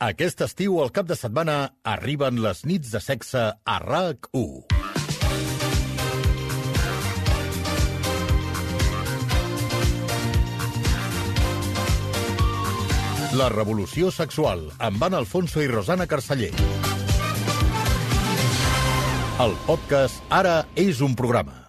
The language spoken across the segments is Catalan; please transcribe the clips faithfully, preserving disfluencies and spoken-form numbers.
Aquest estiu, al cap de setmana, arriben les nits de sexe a R A C u. La revolució sexual, amb Anna Alfonso i Rosana Carceller. El podcast Ara és un programa.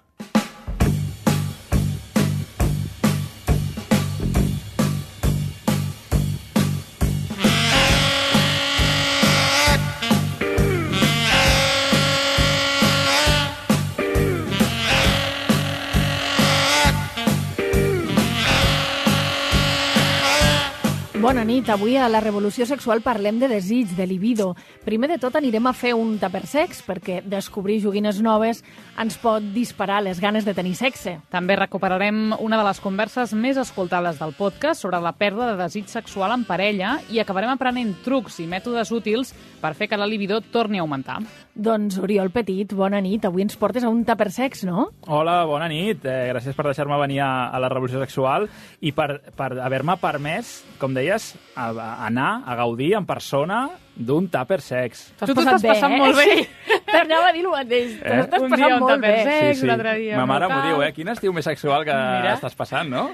Bona nit. Avui a la Revolució Sexual parlem de desig, de libido. Primer de tot anirem a fer un tuppersex, perquè descobrir joguines noves ens pot disparar les ganes de tenir sexe. També recuperarem una de les converses més escoltades del podcast sobre la pèrdua de desig sexual en parella i acabarem aprenent trucs i mètodes útils per fer que la libido torni a augmentar. Doncs, Oriol Petit, bona nit. Avui ens portes a un tuppersex, no? Hola, bona nit. Eh, gràcies per deixar-me venir a, a la Revolució Sexual i per, per haver-me permès, com deies, a, a anar a gaudir en persona d'un tuppersex. Tu t'ho estàs passant molt bé. Sí. T'anava a dir el mateix. Eh? T'ho estàs Un passant dia un molt bé. tuppersex, Sí, sí. un altre dia Ma un mare m'ho local. diu, eh? Quin estiu més sexual que Mira. estàs passant, no?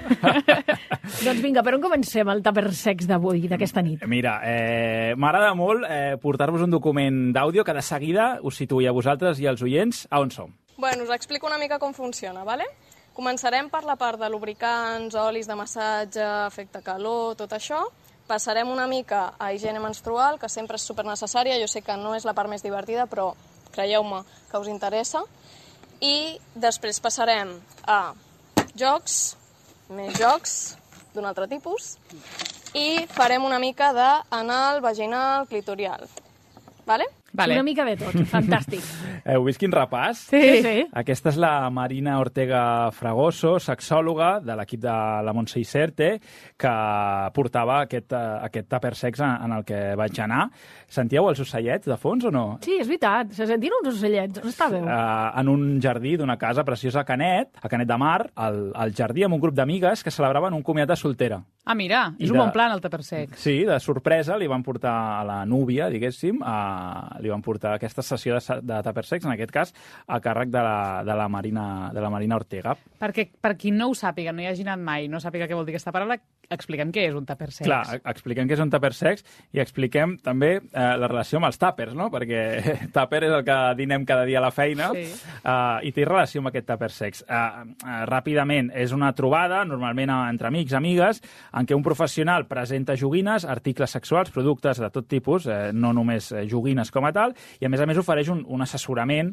Doncs vinga, per on comencem el tuppersex d'avui, d'aquesta nit? Mira, eh, m'agrada molt eh, portar-vos un document d'àudio que de seguida us situï a vosaltres i als oients a on som. Bueno, us explico una mica com funciona, ¿vale? Començarem per la part de lubricants, olis de massatge, efecte calor, tot això. Passarem una mica a higiene menstrual, que sempre és supernecessària. Jo sé que no és la part més divertida, però creieu-me que us interessa. I després passarem a jocs, més jocs d'un altre tipus, i farem una mica d'anal, vaginal, clitorial. Vale? Vale. Una mica de tot. Fantàstic. Heu vist quin repàs? Sí, sí. Aquesta és la Marina Ortega Fragoso, sexòloga de l'equip de la Montse Iserte, que portava aquest, uh, aquest tuppersex en, en el que vaig anar. Sentíeu els ocellets de fons o no? Sí, és veritat. Se sentien uns ocellets. On estàveu? Uh, en un jardí d'una casa preciosa a Canet, a Canet de Mar, al, al jardí amb un grup d'amigues que celebraven un comiat de soltera. Ah, mira, I és un de- bon plan el tuppersex. Sí, de sorpresa li van portar a la núvia, diguéssim, a, li van portar aquesta sessió de, sa- de tuppersex, en aquest cas, a càrrec de la, de la, Marina, de la Marina Ortega. Perquè per qui no ho sàpiga, no hi hagi anat mai, no sàpiga què vol dir aquesta paraula, expliquem què és un tuppersex. Clar, e- expliquem què és un tuppersex i expliquem també eh, la relació amb els tàpers, no? Perquè tàper és el que dinem cada dia a la feina Sí. uh, i té relació amb aquest tuppersex. Uh, uh, ràpidament, és una trobada, normalment uh, entre amics, amigues, en què un professional presenta joguines, articles sexuals, productes de tot tipus, eh, no només eh, joguines com a tal, i a més a més ofereix un, un assessorament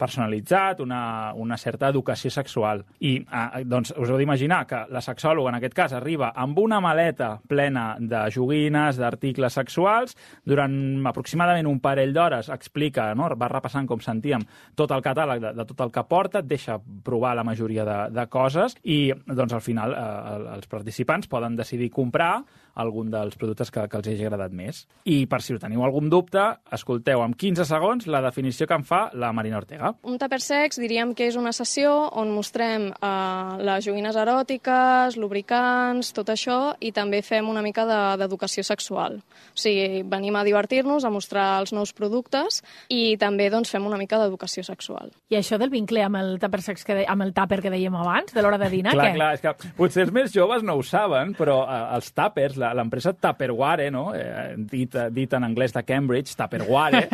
personalitzat, una, una certa educació sexual. I eh, doncs us heu d'imaginar que la sexòloga, en aquest cas, arriba amb una maleta plena de joguines, d'articles sexuals, durant aproximadament un parell d'hores explica, no? Va repassant, com sentíem, tot el catàleg de, de tot el que porta, et deixa provar la majoria de, de coses i doncs, al final eh, els participants poden decidir comprar algun dels productes que, que els hagi agradat més. I per si teniu algun dubte, escolteu amb quinze segons la definició que en fa la Marina Ortega. Un tuppersex diríem que és una sessió on mostrem eh, les joguines eròtiques, lubricants, tot això, i també fem una mica de- d'educació sexual. O sigui, venim a divertir-nos, a mostrar els nous productes i també doncs, fem una mica d'educació sexual. I això del vincle amb el tuppersex que de... amb el tupper que dèiem abans, de l'hora de dinar, Clar, què? clar, és que potser els més joves no ho saben, però eh, els tuppers, la- l'empresa Tupperware, no? eh, dit, dit en anglès de Cambridge, Tupperware,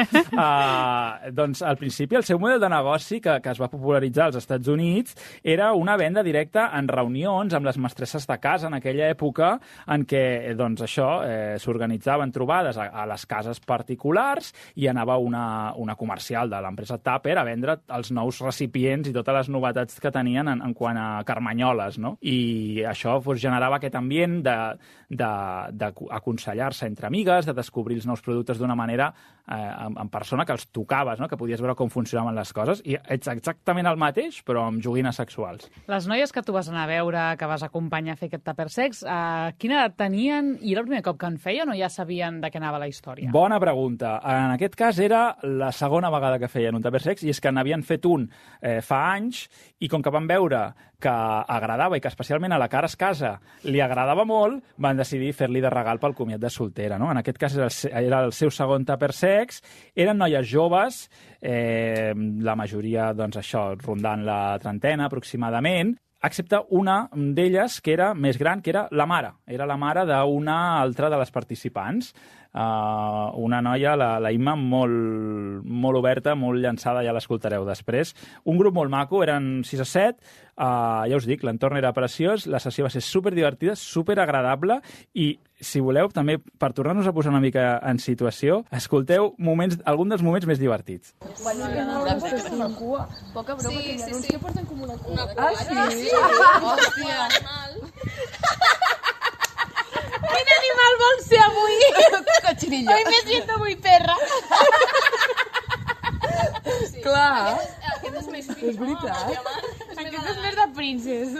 eh, doncs al principi el seu model de negoci que, que es va popularitzar als Estats Units era una venda directa en reunions amb les mestresses de casa en aquella època en què eh, doncs, això eh, s'organitzaven trobades a, a les cases particulars i anava una, una comercial de l'empresa Tupper a vendre els nous recipients i totes les novetats que tenien en, en quant a carmanyoles, no? I això doncs, generava aquest ambient de, de, d'aconsellar-se entre amigues, de descobrir els nous productes d'una manera eh, en, en persona que els tocaves, no? Que podies veure com funcionaven les coses, i ets exactament el mateix, però amb joguines sexuals. Les noies que tu vas anar a veure, que vas acompanyar a fer aquest tuppersex, eh, quina edat tenien i era el primer cop que en feien o ja sabien de què anava la història? Bona pregunta. En aquest cas era la segona vegada que feien un tuppersex i és que n'havien fet un eh, fa anys i com que van veure que agradava i que especialment a la cara escasa li agradava molt, van decidir fer-li de regal pel comiat de soltera. No? En aquest cas era el, era el seu segon tupper sex, eren noies joves, eh, la majoria, doncs això, rondant la trentena aproximadament, excepte una d'elles que era més gran, que era la mare. Era la mare d'una altra de les participants. Uh, una noia, la, la Imma, molt, molt oberta, molt llançada, ja l'escoltareu després. Un grup molt maco, eren sis a set, uh, ja us dic, l'entorn era preciós, la sessió va ser superdivertida, superagradable, i si voleu, també, per tornar-nos a posar una mica en situació, escolteu moments, algun dels moments més divertits. Guanya que no hauràs de ser cua. Poca broma, que hi ha uns que porten com una cua. Ah, sí? Hòstia. Quin animal vol ser avui? Cochinillo. Hoy me siento muy perra. Clar. Aquest és més És veritat. Aquest és més de princes.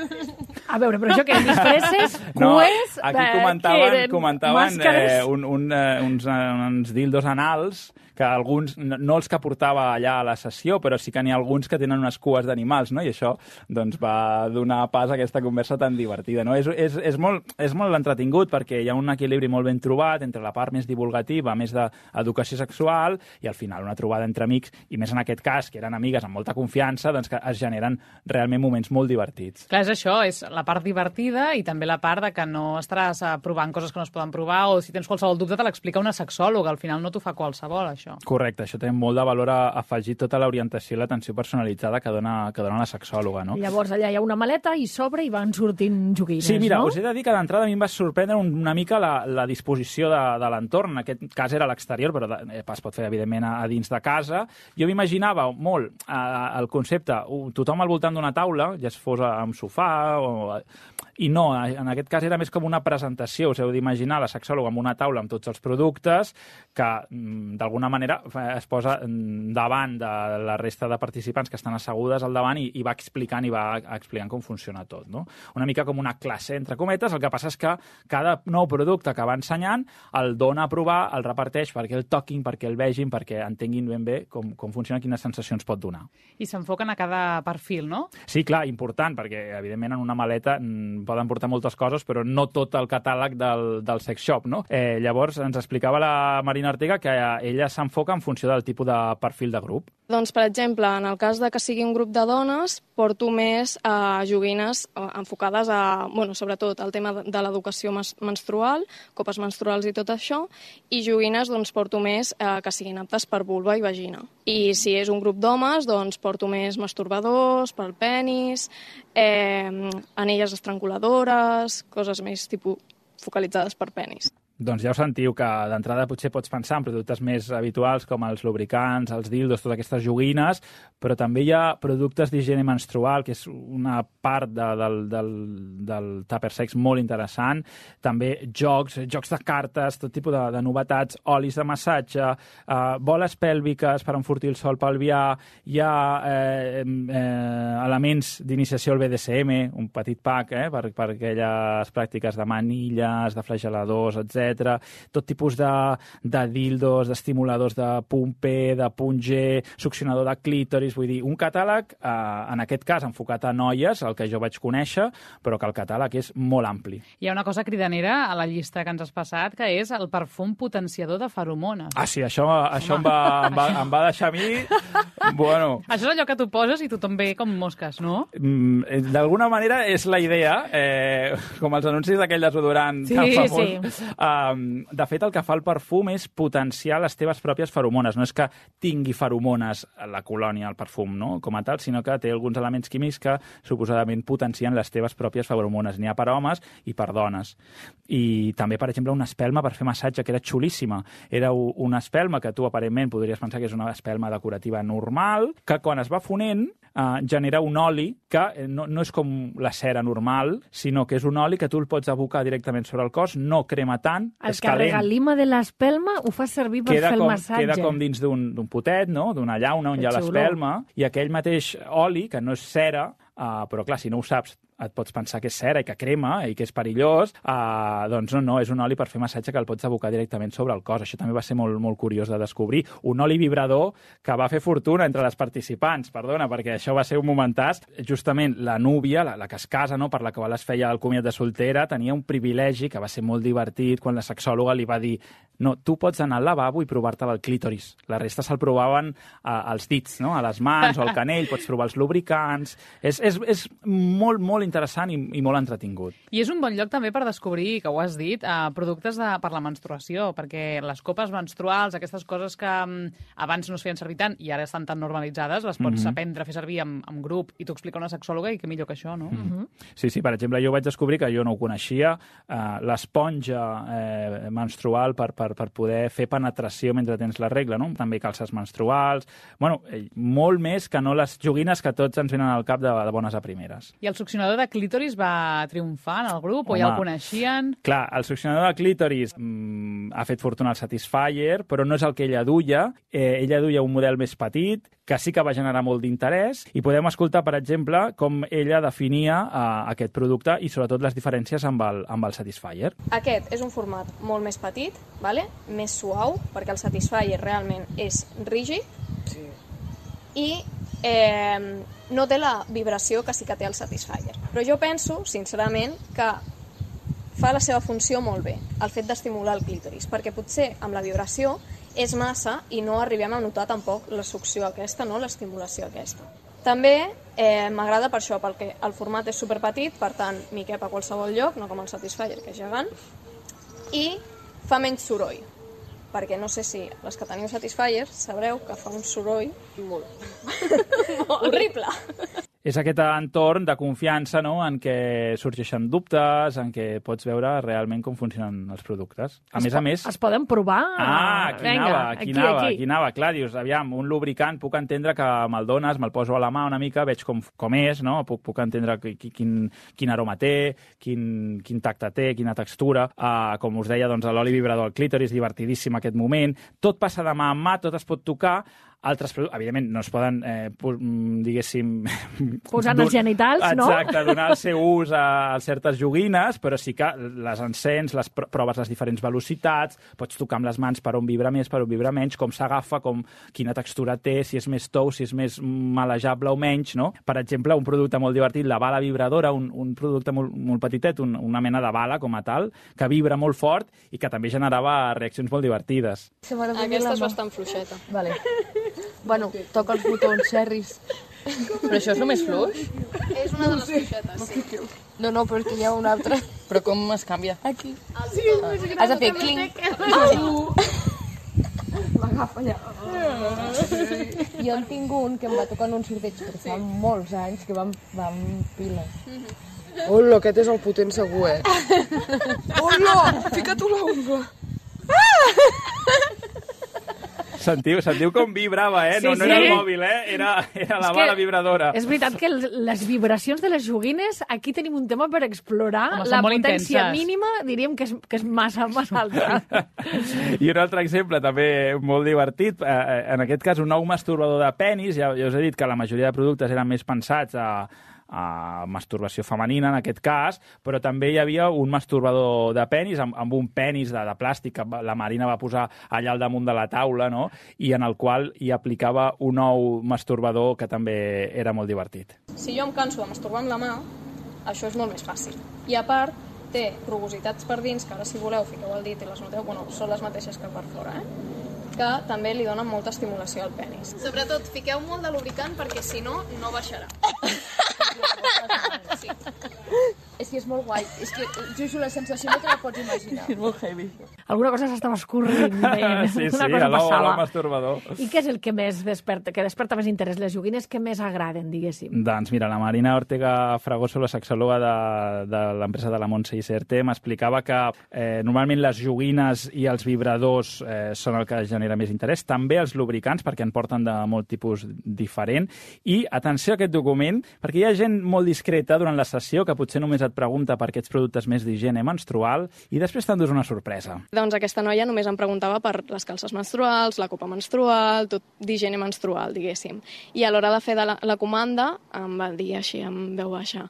A veure, però això què? Disfresses, No, cues... aquí eh, comentaven, què eren? comentaven eh, Màscares? un, un, eh, uns, eh, uns dildos anals que alguns, no, no els que portava allà a la sessió, però sí que n'hi ha alguns que tenen unes cues d'animals, no? I això doncs, va donar pas a aquesta conversa tan divertida. No? És, és, és molt, és molt entretingut perquè hi ha un equilibri molt ben trobat entre la part més divulgativa, més d'educació sexual, i al final una trobada entre amics, i més en aquest cas, que eren amigues amb molta confiança, doncs que es generen realment moments molt divertits. Clar, és això, és la part divertida i també la part de que no estaràs eh, provant coses que no es poden provar, o si tens qualsevol dubte te l'explica una sexòloga, al final no t'ho fa qualsevol, això. Correcte, això té molt de valor a afegir tota l'orientació i l'atenció personalitzada que dona, que dona la sexòloga, no? Llavors allà hi ha una maleta i sobre i van sortint joguines, Sí, mira, no? us he de dir que d'entrada a mi em va sorprendre una mica la, la disposició de, de l'entorn. En aquest cas era a l'exterior, però de, es pot fer, evidentment, a, a dins de casa. Jo m'imaginava molt eh, el concepte, uh, tothom al voltant d'una taula, ja es fos a un sofà o... I no, en aquest cas era més com una presentació. Us heu d'imaginar la sexòloga amb una taula amb tots els productes que, d'alguna manera, es posa davant de la resta de participants que estan assegudes al davant i, i va explicant i va explicant com funciona tot, no? Una mica com una classe, entre cometes. El que passa és que cada nou producte que va ensenyant el dona a provar, el reparteix perquè el toquin, perquè el vegin, perquè entenguin ben bé com, com funciona, quines sensacions pot donar. I s'enfoquen a cada perfil, no? Sí, clar, important, perquè, evidentment, en una maleta poden portar moltes coses, però no tot el catàleg del, del sex shop, no? Eh, llavors, ens explicava la Marina Ortega que ella s'enfoca en funció del tipus de perfil de grup. Doncs, per exemple, en el cas de que sigui un grup de dones, porto més eh, joguines eh, enfocades a, bueno, sobretot al tema de l'educació menstrual, copes menstruals i tot això, i joguines, doncs, porto més eh, que siguin aptes per vulva i vagina. I si és un grup d'homes, doncs, porto més masturbadors, pel penis, eh, anelles estranguladores, coses més tipus focalitzades per penis. Doncs ja ho sentiu, que d'entrada potser pots pensar en productes més habituals com els lubricants, els dildos, totes aquestes joguines, però també hi ha productes d'higiene menstrual, que és una part de, del, del, del tupper sex molt interessant. També jocs, jocs de cartes, tot tipus de, de novetats, olis de massatge, eh, boles pèlviques per enfortir el sol pelvià, hi ha eh, eh, elements d'iniciació al B D S M, un petit pack eh, per, per aquelles pràctiques de manilles, de flageladors, etcètera. Tot tipus de, de dildos, d'estimuladors de pumpe, de punge, succionador de clítoris, vull dir, un catàleg, eh, en aquest cas enfocat a noies, el que jo vaig conèixer, però que el catàleg és molt ampli. Hi ha una cosa cridanera a la llista que ens has passat, que és el perfum potenciador de feromones. Ah, sí, això, això em, va, em, va, em va deixar a mi... Bueno... Això és allò que tu poses i tothom ve com mosques, no? Mm, d'alguna manera és la idea, eh, com els anuncis d'aquell desodorant sí, tan famós. Sí. Um, de fet, el que fa el perfum és potenciar les teves pròpies feromones. No és que tingui feromones a la colònia, el perfum, no? Com a tal, sinó que té alguns elements químics que suposadament potencien les teves pròpies feromones. N'hi ha per homes i per dones. I també, per exemple, una espelma per fer massatge, que era xulíssima. Era una espelma que tu, aparentment, podries pensar que és una espelma decorativa normal, que quan es va fonent eh, genera un oli que no, no és com la cera normal, sinó que és un oli que tu el pots abocar directament sobre el cos, no crema tant, el és calent. El regalima de l'espelma ho fa servir per queda fer el com, massatge. Queda com dins d'un potet, no? D'una llauna on Que hi ha xulo. l'espelma, i aquell mateix oli, que no és cera, Uh, però clar, si no ho saps et pots pensar que és cera i que crema i que és perillós, uh, doncs no, no, és un oli per fer massatge que el pots abocar directament sobre el cos. Això també va ser molt, molt curiós de descobrir. Un oli vibrador que va fer fortuna entre les participants, perdona, perquè això va ser un momentàs. Justament la núvia, la, la que es casa, no, per la qual es feia el comiat de soltera, tenia un privilegi que va ser molt divertit quan la sexòloga li va dir no, tu pots anar al lavabo i provar-te el clítoris. La resta se'l provaven uh, als dits, no? A les mans o al canell, pots provar els lubricants. És, és, és molt, molt interessant i, i molt entretingut. I és un bon lloc també per descobrir, que ho has dit, eh, productes de, per la menstruació, perquè les copes menstruals, aquestes coses que um, abans no es feien servir tant i ara estan tan normalitzades, les pots mm-hmm. aprendre a fer servir en, en grup i t'ho explica una sexòloga i que millor que això, no? Mm-hmm. Sí, sí, per exemple, jo vaig descobrir que jo no ho coneixia, eh, l'esponja eh, menstrual per, per per poder fer penetració mentre tens la regla, no? També calces menstruals... Bueno, molt més que no les joguines que tots ens venen al cap de, de bones a primeres. I el succionador de clítoris va triomfar en el grup? Home, o ja el coneixien? Clar, el succionador de clítoris mmm, ha fet fortuna al Satisfyer, però no és el que ella duia. Eh, ella duia un model més petit, que sí que va generar molt d'interès, i podem escoltar, per exemple, com ella definia eh, aquest producte i sobretot les diferències amb el, amb el Satisfyer. Aquest és un format molt més petit, vale? Més suau, perquè el Satisfyer realment és rígid, sí. I eh, no té la vibració que sí que té el Satisfyer. Però jo penso, sincerament, que fa la seva funció molt bé, el fet d'estimular el clítoris, perquè potser amb la vibració és massa i no arribem a notar tampoc la succió aquesta, no? L'estimulació aquesta. També eh, m'agrada per això, perquè el format és superpetit, per tant, m'hi cap a qualsevol lloc, no com el Satisfyer, que és gegant, i fa menys soroll, perquè no sé si les que teniu Satisfyers sabreu que fa un soroll molt, molt horrible. És aquest entorn de confiança, no?, en què sorgeixen dubtes, en què pots veure realment com funcionen els productes. A es més a més... Es poden provar? Ah, aquí Venga, anava, aquí, aquí, anava, aquí. aquí anava. Clar, dius, aviam, un lubricant puc entendre que me'l dones, me'l poso a la mà una mica, veig com, com és, no? Puc, puc entendre quin, quin aroma té, quin, quin tacte té, quina textura. Uh, com us deia, doncs, l'oli vibrador al clítoris, divertidíssim aquest moment. Tot passa de mà en mà, tot es pot tocar. Altres productes, evidentment, no es poden, eh, diguéssim... Posar en els genitals, no? Exacte, donar el seu ús a, a certes joguines, però sí que les encens, les proves les diferents velocitats, pots tocar amb les mans per on vibra més, per on vibra menys, com s'agafa, com quina textura té, si és més tou, si és més malejable o menys, no? Per exemple, un producte molt divertit, la bala vibradora, un, un producte molt, molt petitet, un, una mena de bala com a tal, que vibra molt fort i que també generava reaccions molt divertides. Aquesta és bastant fluixeta. Vale. Bueno, toca els botons, xerris. Però això és el més fluix? És una de les fluixetes, sí. No, no, però és que hi ha una altra. Però com es canvia? Aquí. Sí, has de fer clinc. M'agafa allà. Jo en tinc un que em va tocar en un sorteig, però fa molts anys, que va amb piles. Hola, aquest és el potent segur, eh? Hola, fica-t'ho la ungla. Sentiu, sentiu com vibrava, eh? Sí, no, no sí. era el mòbil, eh? Era, era la bala vibradora. És veritat que les vibracions de les joguines, aquí tenim un tema per explorar. Home, la són molt potència intenses. mínima diríem que és, que és massa, massa alta. I un altre exemple també molt divertit, eh, en aquest cas un nou masturbador de penis, ja, ja us he dit que la majoria de productes eren més pensats a a masturbació femenina, en aquest cas, però també hi havia un masturbador de penis, amb, amb un penis de, de plàstic que la Marina va posar allà al damunt de la taula, no?, i en el qual hi aplicava un nou masturbador que també era molt divertit. Si jo em canso de masturbar amb la mà, això és molt més fàcil. I a part, té rugositats per dins, que ara si voleu fiqueu el dit i les noteu, bueno, són les mateixes que per fora, eh? Que també li donen molta estimulació al penis. Sobretot, fiqueu molt de lubricant perquè si no, no baixarà. Sí. És que és molt guai. És que, Juju, la sensació no te la pots imaginar. És molt heavy. Alguna cosa s'estava escorrent. Veient. Sí, sí, Una cosa a passava. masturbador. I què és el que més desperta, que desperta més interès? Les joguines que més agraden, diguéssim? Doncs mira, la Marina Ortega Fragoso, la sexòloga de, de l'empresa de la Montse i C R T, m'explicava que eh, normalment les joguines i els vibradors eh, són el que genera més interès. També els lubricants, perquè en porten de molt tipus diferent. I, atenció a aquest document, perquè hi ha gent molt discreta durant la sessió, que potser només et pregunta per aquests productes més d'higiene menstrual, i després t'endús una sorpresa. Doncs aquesta noia només em preguntava per les calces menstruals, la copa menstrual, tot d'higiene menstrual, diguéssim. I a l'hora de fer de la, la comanda em va dir així, en veu baixa,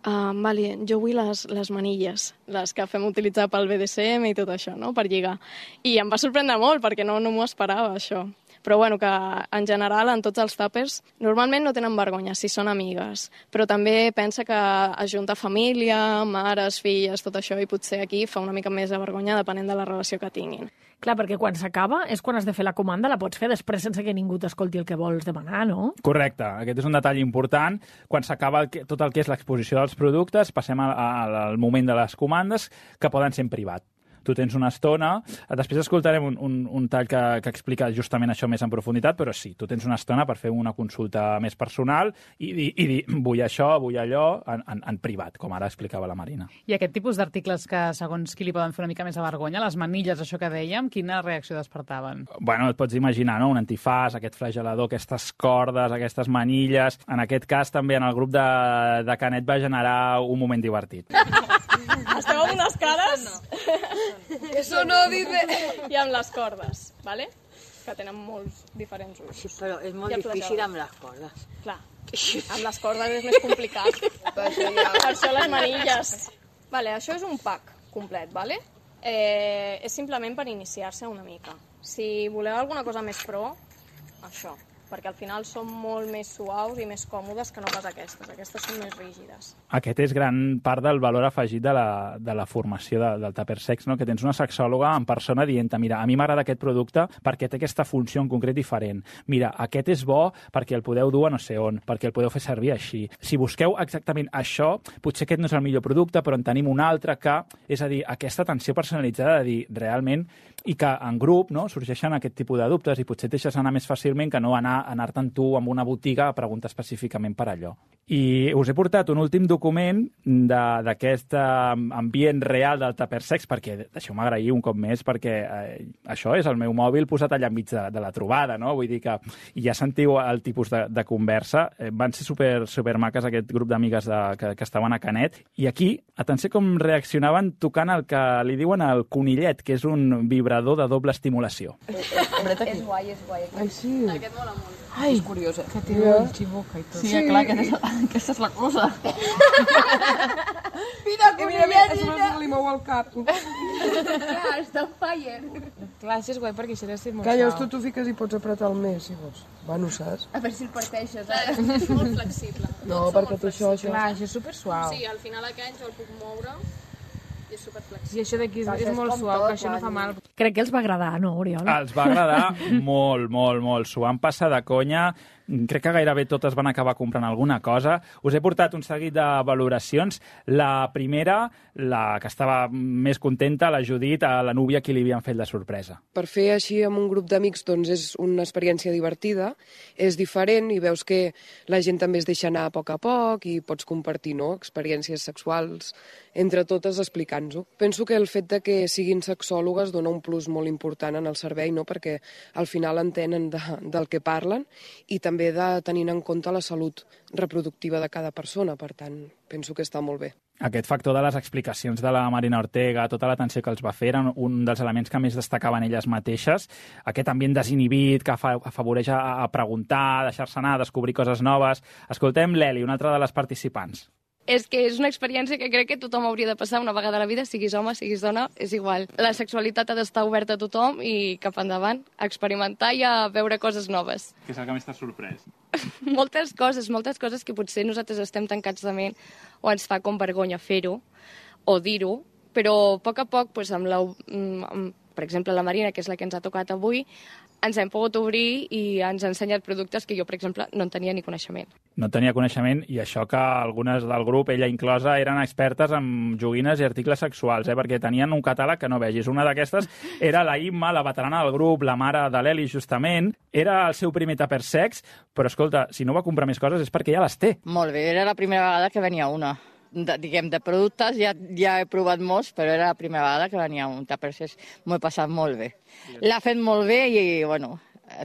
Uh, vale, jo vull les, les manilles, les que fem utilitzar pel B D S M i tot això, no?, per lligar. I em va sorprendre molt, perquè no, no m'ho esperava, això. Però bueno, que en general, en tots els tàpers, normalment no tenen vergonya si són amigues, però també pensa que ajunta família, mares, filles, tot això, i potser aquí fa una mica més de vergonya depenent de la relació que tinguin. Clar, perquè quan s'acaba és quan has de fer la comanda, la pots fer després sense que ningú t'escolti el que vols demanar, no? Correcte, aquest és un detall important. Quan s'acaba el que, tot el que és l'exposició dels productes, passem al, al moment de les comandes, que poden ser en privat. Tu tens una estona, després escoltarem un, un, un tall que, que explica justament això més en profunditat, però sí, tu tens una estona per fer una consulta més personal i, i, i dir, vull això, vull allò, en, en, en privat, com ara explicava la Marina. I aquest tipus d'articles que, segons qui li poden fer una mica més de vergonya, les manilles, això que dèiem, quina reacció despertaven? Bueno, et pots imaginar, no?, un antifàs, aquest flagelador, aquestes cordes, aquestes manilles. En aquest cas, també en el grup de, de Canet va generar un moment divertit. Esteu amb unes cares... Eso no, dice... I amb les cordes, ¿vale? Que tenen molts diferents usos. Sí, però és molt difícil amb les cordes. Clar, amb les cordes és més complicat. Per això, ja... per això les manilles. Vale, això és un pack complet, ¿vale? Eh, és simplement per iniciar-se una mica. Si voleu alguna cosa més pro, això. Perquè al final són molt més suaus i més còmodes que no pas aquestes. Aquestes són més rígides. Aquest és gran part del valor afegit de la, de la formació de, del Tupper Sex, no?, que tens una sexòloga en persona dient, mira, a mi m'agrada aquest producte perquè té aquesta funció en concret diferent. Mira, aquest és bo perquè el podeu dur a no sé on, perquè el podeu fer servir així. Si busqueu exactament això, potser aquest no és el millor producte, però en tenim un altre que, és a dir, aquesta atenció personalitzada de dir, realment, i que en grup, no?, sorgeixen aquest tipus de dubtes i potser et deixes anar més fàcilment que no anar anar-te'n tu amb una botiga a preguntar específicament per allò. I us he portat un últim document d'aquest ambient real del Tupper Sex, perquè deixeu-me agrair un cop més, perquè eh, això és el meu mòbil posat allà enmig de, de la trobada, no? Vull dir que ja sentiu el tipus de, de conversa. Eh, van ser super, super maques aquest grup d'amigues que, que estaven a Canet. I aquí, atenció com reaccionaven tocant el que li diuen el conillet, que és un vibrador de doble estimulació. És guai, és guai. Ai, sí. Aquest mola molt. Ai, És curiós, eh? que té el xiboca i tot. Sí, clar, aquesta, aquesta és la cosa. Mira, mira, mira, a sobre li mou el cap. Clar, està on fire. Clar, això és guai perquè això deu ser molt Que llavors suau. tu t'ho fiques i pots apretar el més, si vols. Bueno, saps? A veure si el parteixes, eh? És molt flexible. No, Tots són perquè molt té això, això. Clar, això és super suau. Sí, al final aquest jo el puc moure i és superflexible. I això d'aquí és, Això és és molt com suau, tot, que això no fa mal. Crec que els va agradar, no, Oriol? Els va agradar molt, molt, molt. S'ho van passar de conya. Crec que gairebé totes van acabar comprant alguna cosa. Us he portat un seguit de valoracions. La primera, la que estava més contenta, la Judit, a la núvia qui li havien fet la sorpresa. Per fer així amb un grup d'amics doncs és una experiència divertida, és diferent i veus que la gent també es deixa anar a poc a poc i pots compartir, no?, experiències sexuals entre totes explicant-ho. Penso que el fet de que siguin sexòlogues dona un plus molt important en el servei, no?, perquè al final entenen de, del que parlen i també de tenint en compte la salut reproductiva de cada persona, per tant, penso que està molt bé. Aquest factor de les explicacions de la Marina Ortega, tota l'atenció que els va fer, eren un dels elements que més destacaven elles mateixes. Aquest ambient desinhibit que afavoreix a, a preguntar, a deixar-se anar, a descobrir coses noves. Escoltem l'Eli, una altra de les participants. És que és una experiència que crec que tothom hauria de passar una vegada a la vida, siguis home, siguis dona, és igual. La sexualitat ha d'estar oberta a tothom i cap endavant, a experimentar i a veure coses noves. Què és el que més t'ha sorprès? Moltes coses, moltes coses que potser nosaltres estem tancats de ment o ens fa com vergonya fer-ho o dir-ho, però a poc a poc, doncs, amb la, amb, per exemple, la Marina, que és la que ens ha tocat avui, ens hem pogut obrir i ens ha ensenyat productes que jo, per exemple, no en tenia ni coneixement. No tenia coneixement i això que algunes del grup, ella inclosa, eren expertes en joguines i articles sexuals, eh? Perquè tenien un catàleg que no vegis. Una d'aquestes era la Imma, la veterana del grup, la mare de l'Eli, justament. Era el seu primer Tupper Sex, però escolta, si no va comprar més coses és perquè ja les té. Molt bé, era la primera vegada que venia una. De, diguem, de productes ja, ja he provat molts, però era la primera vegada que venia un Tupper Sex. M'ho he passat molt bé. L'ha fet molt bé i, bueno,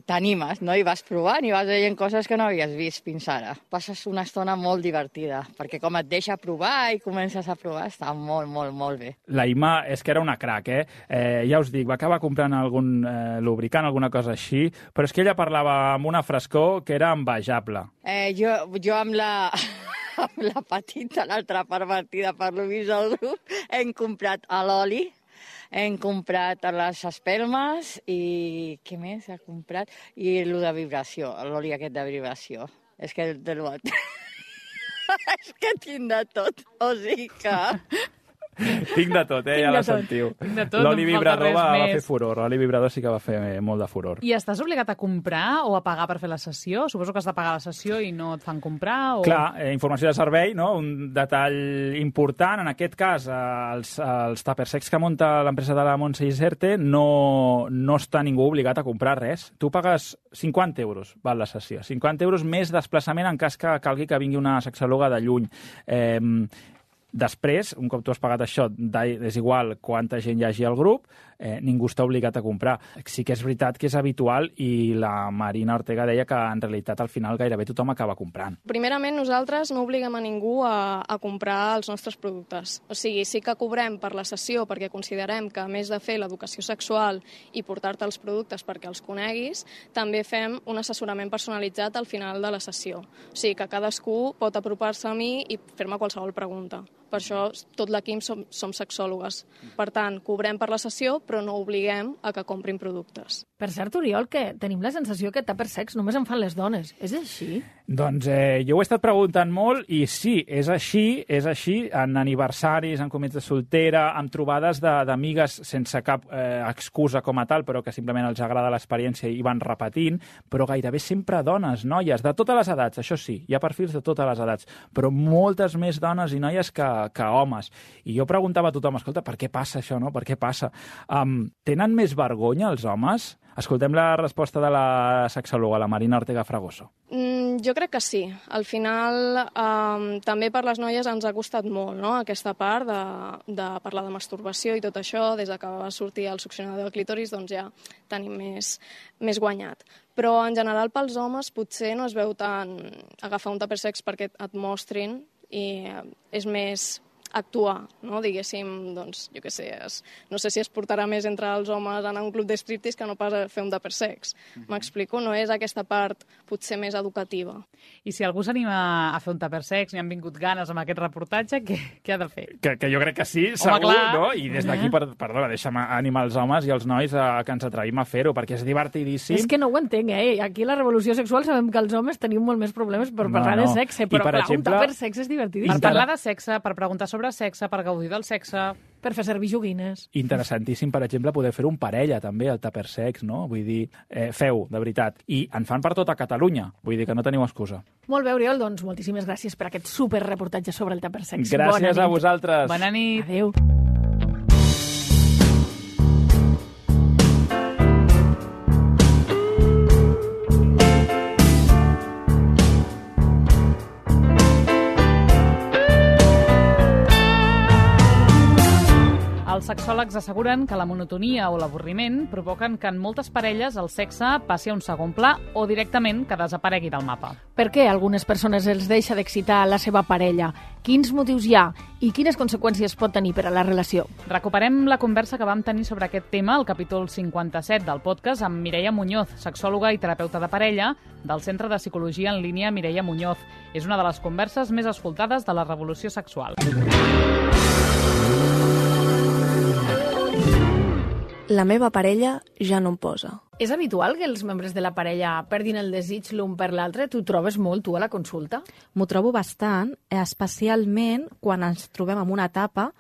t'animes, no? I vas provant i vas veient coses que no havies vist fins ara. Passes una estona molt divertida, perquè com et deixa provar i comences a provar, està molt, molt, molt bé. La Ima és que era una crac, eh? eh ja us dic, va acabar comprant algun eh, lubricant, alguna cosa així, però és que ella parlava amb una frescor que era envejable. Eh, jo, jo amb la... amb la petita, l'altra pervertida per l'Uvis del grup, hem comprat l'oli, hem comprat les espelmes i què més ha comprat? I el de vibració, l'oli aquest de vibració. És que de l'ot. És que tinc de tot, o sigui que... Tinc de tot, eh? Ja la sentiu. L'oli vibrador va, va fer furor. L'oli vibrador sí que va fer molt de furor. I estàs obligat a comprar o a pagar per fer la sessió? Suposo que has de pagar la sessió i no et fan comprar? O... Clar, eh, informació de servei, no? Un detall important. En aquest cas, els, els tuppersecs que munta l'empresa de la Montse Iserte no, no està ningú obligat a comprar res. Tu pagues cinquanta euros, val la sessió. cinquanta euros més desplaçament en cas que calgui que vingui una sexòloga de lluny. Eh, Després, un cop tu has pagat això, és igual quanta gent hi hagi al grup, eh, ningú està obligat a comprar. Sí que és veritat que és habitual i la Marina Ortega deia que en realitat al final gairebé tothom acaba comprant. Primerament, nosaltres no obliguem a ningú a, a comprar els nostres productes. O sigui, sí que cobrem per la sessió perquè considerem que a més de fer l'educació sexual i portar-te els productes perquè els coneguis, també fem un assessorament personalitzat al final de la sessió. O sigui, que cadascú pot apropar-se a mi i fer-me qualsevol pregunta. Per això tot l'equip som, som sexòlogues. Per tant, cobrem per la sessió, però no obliguem a que comprin productes. Per cert, Oriol, que tenim la sensació que tuppersecs només en fan les dones. És així? Doncs eh, jo ho he estat preguntant molt i sí, és així, és així, en aniversaris, en comits de soltera, en trobades d'amigues sense cap eh, excusa com a tal, però que simplement els agrada l'experiència i van repetint, però gairebé sempre dones, noies, de totes les edats, això sí, hi ha perfils de totes les edats, però moltes més dones i noies que, que homes. I jo preguntava a tothom, escolta, per què passa això, no? Per què passa? Um, tenen més vergonya els homes? Escoltem la resposta de la sexòloga, la Marina Ortega Fragoso. Mm, jo crec que sí. Al final, eh, també per les noies ens ha costat molt, no?, aquesta part de, de parlar de masturbació i tot això. Des que va sortir el succionador de clítoris, doncs ja tenim més, més guanyat. Però en general pels homes potser no es veu tant agafar un tuppersex perquè et mostrin i és més actuar, no? Diguéssim, doncs, jo què sé, es, no sé si es portarà més entre els homes anar a un club de striptease que no pas a fer un tuppersex. M'explico? No és aquesta part potser més educativa. I si algú s'anima a fer un tuppersex, n'hi han vingut ganes amb aquest reportatge, què, què ha de fer? Que, que jo crec que sí, Home, segur, clar. no? I des d'aquí, per, perdona, deixa'm animar els homes i els nois a que ens atrevim a fer-ho, perquè és divertidíssim. És que no ho entenc, eh? Aquí a la revolució sexual sabem que els homes tenim molt més problemes per parlar no, no. de sexe, I, però per clar, exemple, un tuppersex és divertidíssim. Per parlar de sexe, per preguntar sobre sexe, per gaudir del sexe... Per fer servir joguines. Interessantíssim, per exemple, poder fer un parella, també, el tuppersex, no? Vull dir, eh, feu, de veritat. I en fan per tota Catalunya. Vull dir que no teniu excusa. Molt bé, Oriol, doncs moltíssimes gràcies per aquest superreportatge sobre el tuppersex. Gràcies a vosaltres. Bona nit. Adéu. Els sexòlegs asseguren que la monotonia o l'avorriment provoquen que en moltes parelles el sexe passi a un segon pla o directament que desaparegui del mapa. Per què a algunes persones els deixa d'excitar la seva parella? Quins motius hi ha? I quines conseqüències pot tenir per a la relació? Recuperem la conversa que vam tenir sobre aquest tema al capítol cinquanta-set del podcast amb Mireia Muñoz, sexòloga i terapeuta de parella del Centre de Psicologia en Línia Mireia Muñoz. És una de les converses més escoltades de la revolució sexual. La meva parella ja no em posa. És habitual que els membres de la parella perdin el desig l'un per l'altre? Tu trobes molt, tu, a la consulta? M'ho trobo bastant, especialment quan ens trobem en una etapa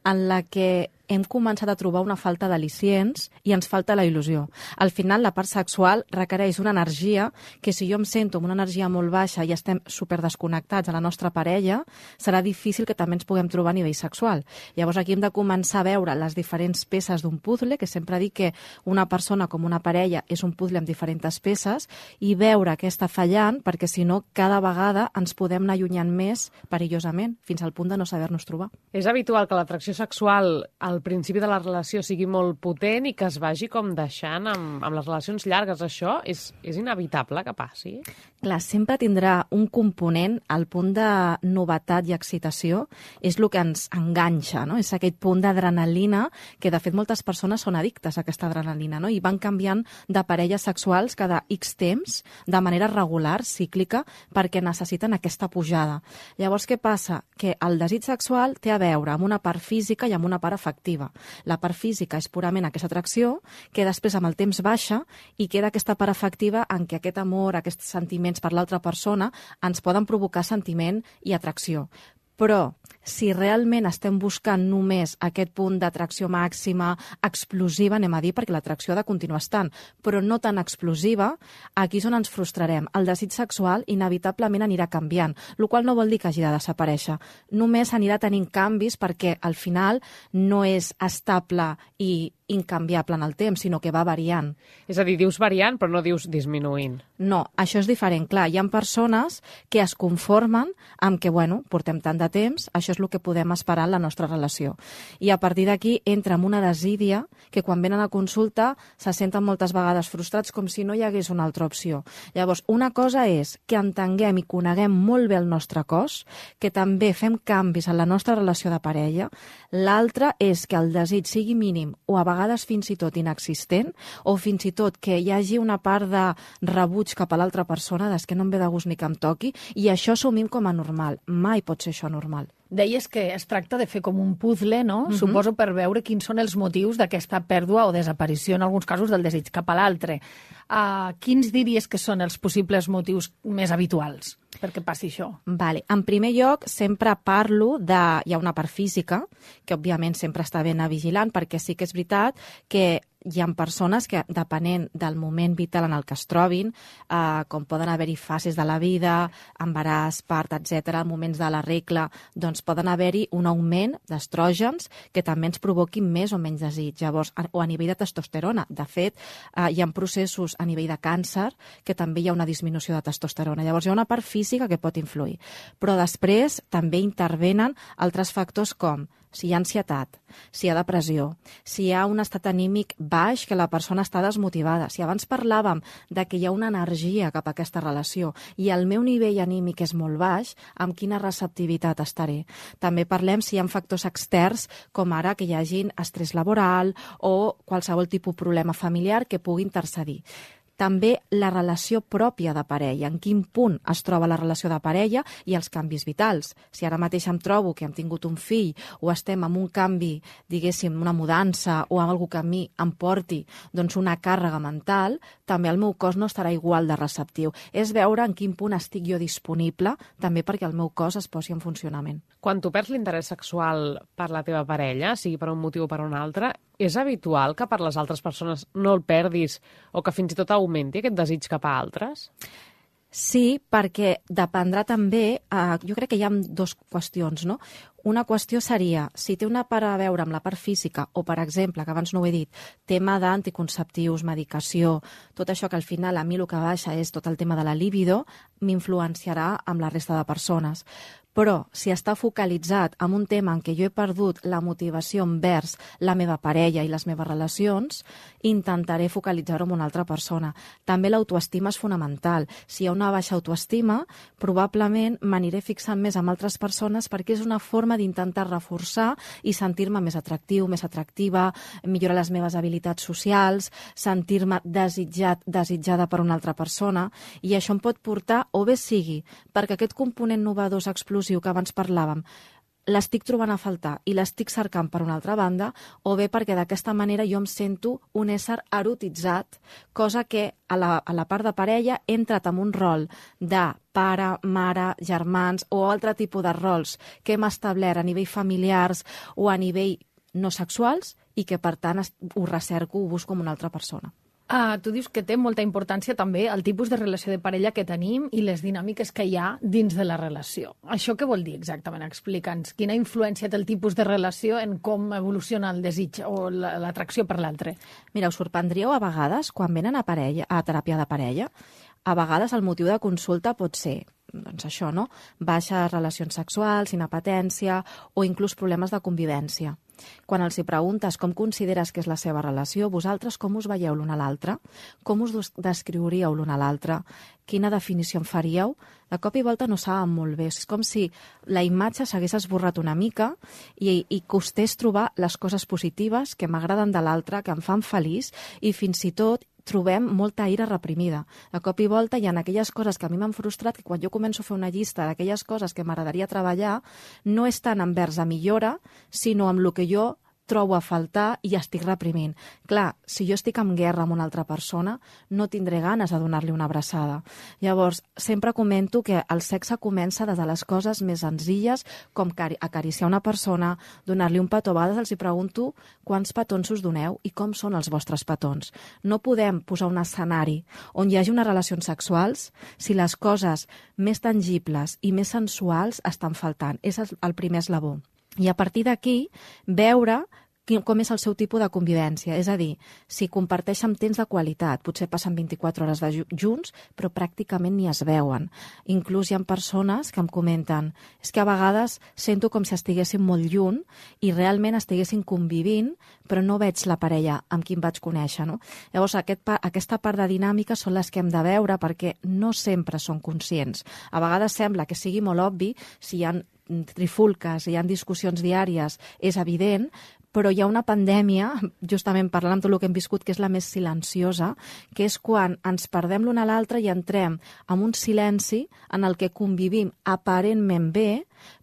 en la que hem començat a trobar una falta d'al·licients i ens falta la il·lusió. Al final, la part sexual requereix una energia que si jo em sento amb una energia molt baixa i estem superdesconnectats a la nostra parella, serà difícil que també ens puguem trobar a nivell sexual. Llavors aquí hem de començar a veure les diferents peces d'un puzzle, que sempre dic que una persona com una parella és un puzzle amb diferents peces, i veure què està fallant, perquè si no, cada vegada ens podem anar allunyant més perillosament, fins al punt de no saber-nos trobar. És habitual que l'atracció sexual al principi de la relació sigui molt potent i que es vagi com deixant amb, amb les relacions llargues. Això és, és inevitable que passi? Clar, sempre tindrà un component, al punt de novetat i excitació, és el que ens enganxa, no? És aquest punt d'adrenalina, que de fet moltes persones són addictes a aquesta adrenalina, no? I van canviant de parelles sexuals cada X temps, de manera regular, cíclica, perquè necessiten aquesta pujada. Llavors, què passa? Que el desig sexual té a veure amb una part física i amb una part afectiva. La part física és purament aquesta atracció, que després amb el temps baixa i queda aquesta part afectiva en què aquest amor, aquests sentiments per l'altra persona ens poden provocar sentiment i atracció. Però si realment estem buscant només aquest punt d'atracció màxima, explosiva, anem a dir, perquè l'atracció ha de continuar estant, però no tan explosiva, aquí és on ens frustrarem. El desig sexual inevitablement anirà canviant, el qual no vol dir que hagi de desaparèixer. Només anirà tenint canvis perquè al final no és estable i incanviable en el temps, sinó que va variant. És a dir, dius variant, però no dius disminuint. No, això és diferent. Clar, hi ha persones que es conformen amb que, bueno, portem tant de temps, això és el que podem esperar en la nostra relació. I a partir d'aquí entra en una desídia que quan venen a consulta se senten moltes vegades frustrats com si no hi hagués una altra opció. Llavors, una cosa és que entenguem i coneguem molt bé el nostre cos, que també fem canvis en la nostra relació de parella. L'altra és que el desig sigui mínim o a vegades fins i tot inexistent, o fins i tot que hi hagi una part de rebuig cap a l'altra persona, des que no em ve de gust ni que em toqui, i això assumim com a normal. Mai pot ser això normal. Deies que es tracta de fer com un puzzle, no? Uh-huh. Suposo per veure quins són els motius d'aquesta pèrdua o desaparició, en alguns casos, del desig cap a l'altre. Uh, quins diries que són els possibles motius més habituals perquè passi això? Vale. En primer lloc, sempre parlo de... Hi ha una part física, que òbviament sempre està ben vigilant, perquè sí que és veritat que hi ha persones que, depenent del moment vital en el que es trobin, eh, com poden haver-hi fases de la vida, embaràs, part, etcètera, moments de la regla, doncs poden haver-hi un augment d'estrògens que també ens provoquin més o menys desig. Llavors, o a nivell de testosterona. De fet, eh, hi ha processos a nivell de càncer que també hi ha una disminució de testosterona. Llavors, hi ha una part física que pot influir. Però després també intervenen altres factors com si hi ha ansietat, si hi ha depressió, si hi ha un estat anímic baix, que la persona està desmotivada. Si abans parlàvem de que hi ha una energia cap a aquesta relació i el meu nivell anímic és molt baix, amb quina receptivitat estaré? També parlem si hi ha factors externs, com ara que hi hagin estrès laboral o qualsevol tipus de problema familiar que pugui intercedir. També la relació pròpia de parella, en quin punt es troba la relació de parella i els canvis vitals. Si ara mateix em trobo que hem tingut un fill o estem en un canvi, diguéssim, una mudança o algú que a mi em porti doncs, una càrrega mental, també el meu cos no estarà igual de receptiu. És veure en quin punt estic jo disponible, també perquè el meu cos es posi en funcionament. Quan tu perds l'interès sexual per la teva parella, sigui per un motiu o per un altre, és habitual que per les altres persones no el perdis o que fins i tot augmenti aquest desig cap a altres? Sí, perquè dependrà també, eh, jo crec que hi ha dues qüestions, no? Una qüestió seria, si té una part a veure amb la part física, o per exemple, que abans no ho he dit, tema d'anticonceptius, medicació, tot això que al final a mi el que baixa és tot el tema de la libido, m'influenciarà amb la resta de persones. Però si està focalitzat en un tema en què jo he perdut la motivació envers la meva parella i les meves relacions, intentaré focalitzar-ho en una altra persona. També l'autoestima és fonamental. Si hi ha una baixa autoestima, probablement m'aniré fixant més en altres persones perquè és una forma d'intentar reforçar i sentir-me més atractiu, més atractiva, millorar les meves habilitats socials, sentir-me desitjat, desitjada per una altra persona, i això em pot portar, o bé sigui, perquè aquest component novedós explosiu que abans parlàvem, l'estic trobant a faltar i l'estic cercant per una altra banda, o bé perquè d'aquesta manera jo em sento un ésser erotitzat, cosa que a la, a la part de parella he entrat en un rol de pare, mare, germans o altre tipus de rols que hem establert a nivell familiars o a nivell no sexuals i que per tant ho recerco, ho busco amb una altra persona. Ah, tu dius que té molta importància també el tipus de relació de parella que tenim i les dinàmiques que hi ha dins de la relació. Això què vol dir exactament? Explica'ns. Quina influència té el tipus de relació en com evoluciona el desig o l'atracció per l'altre? Mira, us sorprendríeu a vegades quan venen a, parella, a teràpia de parella. a vegades el motiu de consulta pot ser doncs això, no? Baixes relacions sexuals, inapetència o inclús problemes de convivència. Quan els hi preguntes com consideres que és la seva relació, vosaltres com us veieu l'un a l'altre? Com us descriuríeu l'un a l'altre? Quina definició en faríeu? De cop i volta no saben molt bé. És com si la imatge s'hagués esborrat una mica i, i costés trobar les coses positives que m'agraden de l'altre, que em fan feliç, i fins i tot trobem molta ira reprimida. De cop i volta hi ha aquelles coses que a mi m'han frustrat, que quan jo començo a fer una llista d'aquelles coses que m'agradaria treballar, no és tant envers a millora, sinó amb el que jo trobo a faltar i estic reprimint. Clar, si jo estic en guerra amb una altra persona, no tindré ganes de donar-li una abraçada. Llavors, sempre comento que el sexe comença des de les coses més senzilles, com acariciar una persona, donar-li un petó. A vegades els hi pregunto quants petons us doneu i com són els vostres petons. No podem posar un escenari on hi hagi unes relacions sexuals si les coses més tangibles i més sensuals estan faltant. És el primer eslabó. I a partir d'aquí, veure com és el seu tipus de convivència. És a dir, si comparteixen temps de qualitat, potser passen vint-i-quatre hores de junts, però pràcticament ni es veuen. Inclús hi ha persones que em comenten és que a vegades sento com si estiguessin molt lluny i realment estiguessin convivint, però no veig la parella amb qui em vaig conèixer. No? Llavors, aquest, aquesta part de dinàmica són les que hem de veure perquè no sempre són conscients. A vegades sembla que sigui molt obvi, si hi ha trifulques, hi ha discussions diàries, és evident, però hi ha una pandèmia, justament parlant amb tot el que hem viscut, que és la més silenciosa, que és quan ens perdem l'un a l'altre i entrem en un silenci en el que convivim aparentment bé,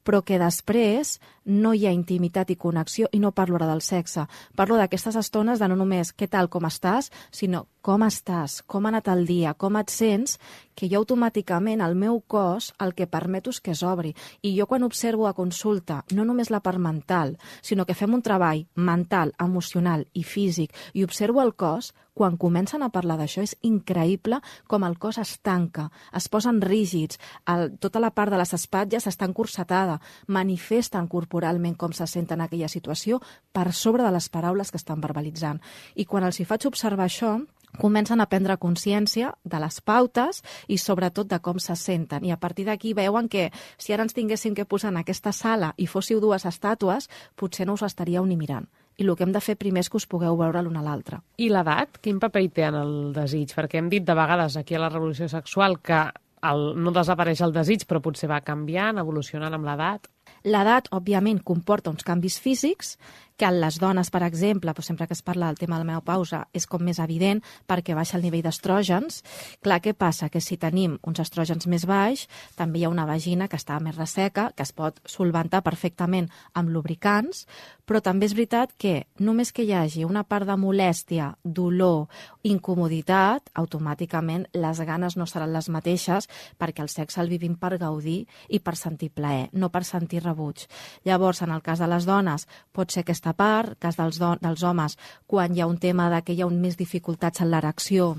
però que després no hi ha intimitat i connexió, i no parlo ara del sexe. Parlo d'aquestes estones de no només què tal, com estàs, sinó com estàs, com ha anat el dia, com et sents, que jo automàticament el meu cos el que permeto és que s'obri. I jo quan observo a consulta, no només la part mental, sinó que fem un treball mental, emocional i físic, i observo el cos, quan comencen a parlar d'això és increïble com el cos es tanca, es posen rígids, el, tota la part de les espatlles està encursetada, manifesten corporalment com se senten en aquella situació per sobre de les paraules que estan verbalitzant. I quan els hi faig observar això, comencen a prendre consciència de les pautes i sobretot de com se senten. I a partir d'aquí veuen que si ara ens tinguéssim que posar en aquesta sala i fóssiu dues estàtues, potser no us estaríeu ni mirant. I el que hem de fer primer és que us pugueu veure l'un a l'altre. I l'edat? Quin paper hi té en el desig? Perquè hem dit de vegades aquí a la revolució sexual que el, no desapareix el desig, però potser va canviant, evolucionant amb l'edat. L'edat, òbviament, comporta uns canvis físics que en les dones, per exemple, però sempre que es parla del tema de la menopausa, és com més evident perquè baixa el nivell d'estrògens. Clar, què passa? Que si tenim uns estrògens més baix, també hi ha una vagina que està més resseca, que es pot solventar perfectament amb lubricants, però també és veritat que només que hi hagi una part de molèstia, dolor, incomoditat, automàticament les ganes no seran les mateixes perquè el sexe el vivim per gaudir i per sentir plaer, no per sentir rebuig. Llavors, en el cas de les dones, pot ser aquesta part, cas dels, dels homes, quan hi ha un tema de que hi ha un més dificultats en l'erecció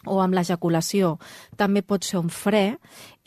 o amb l'ejaculació, també pot ser un fre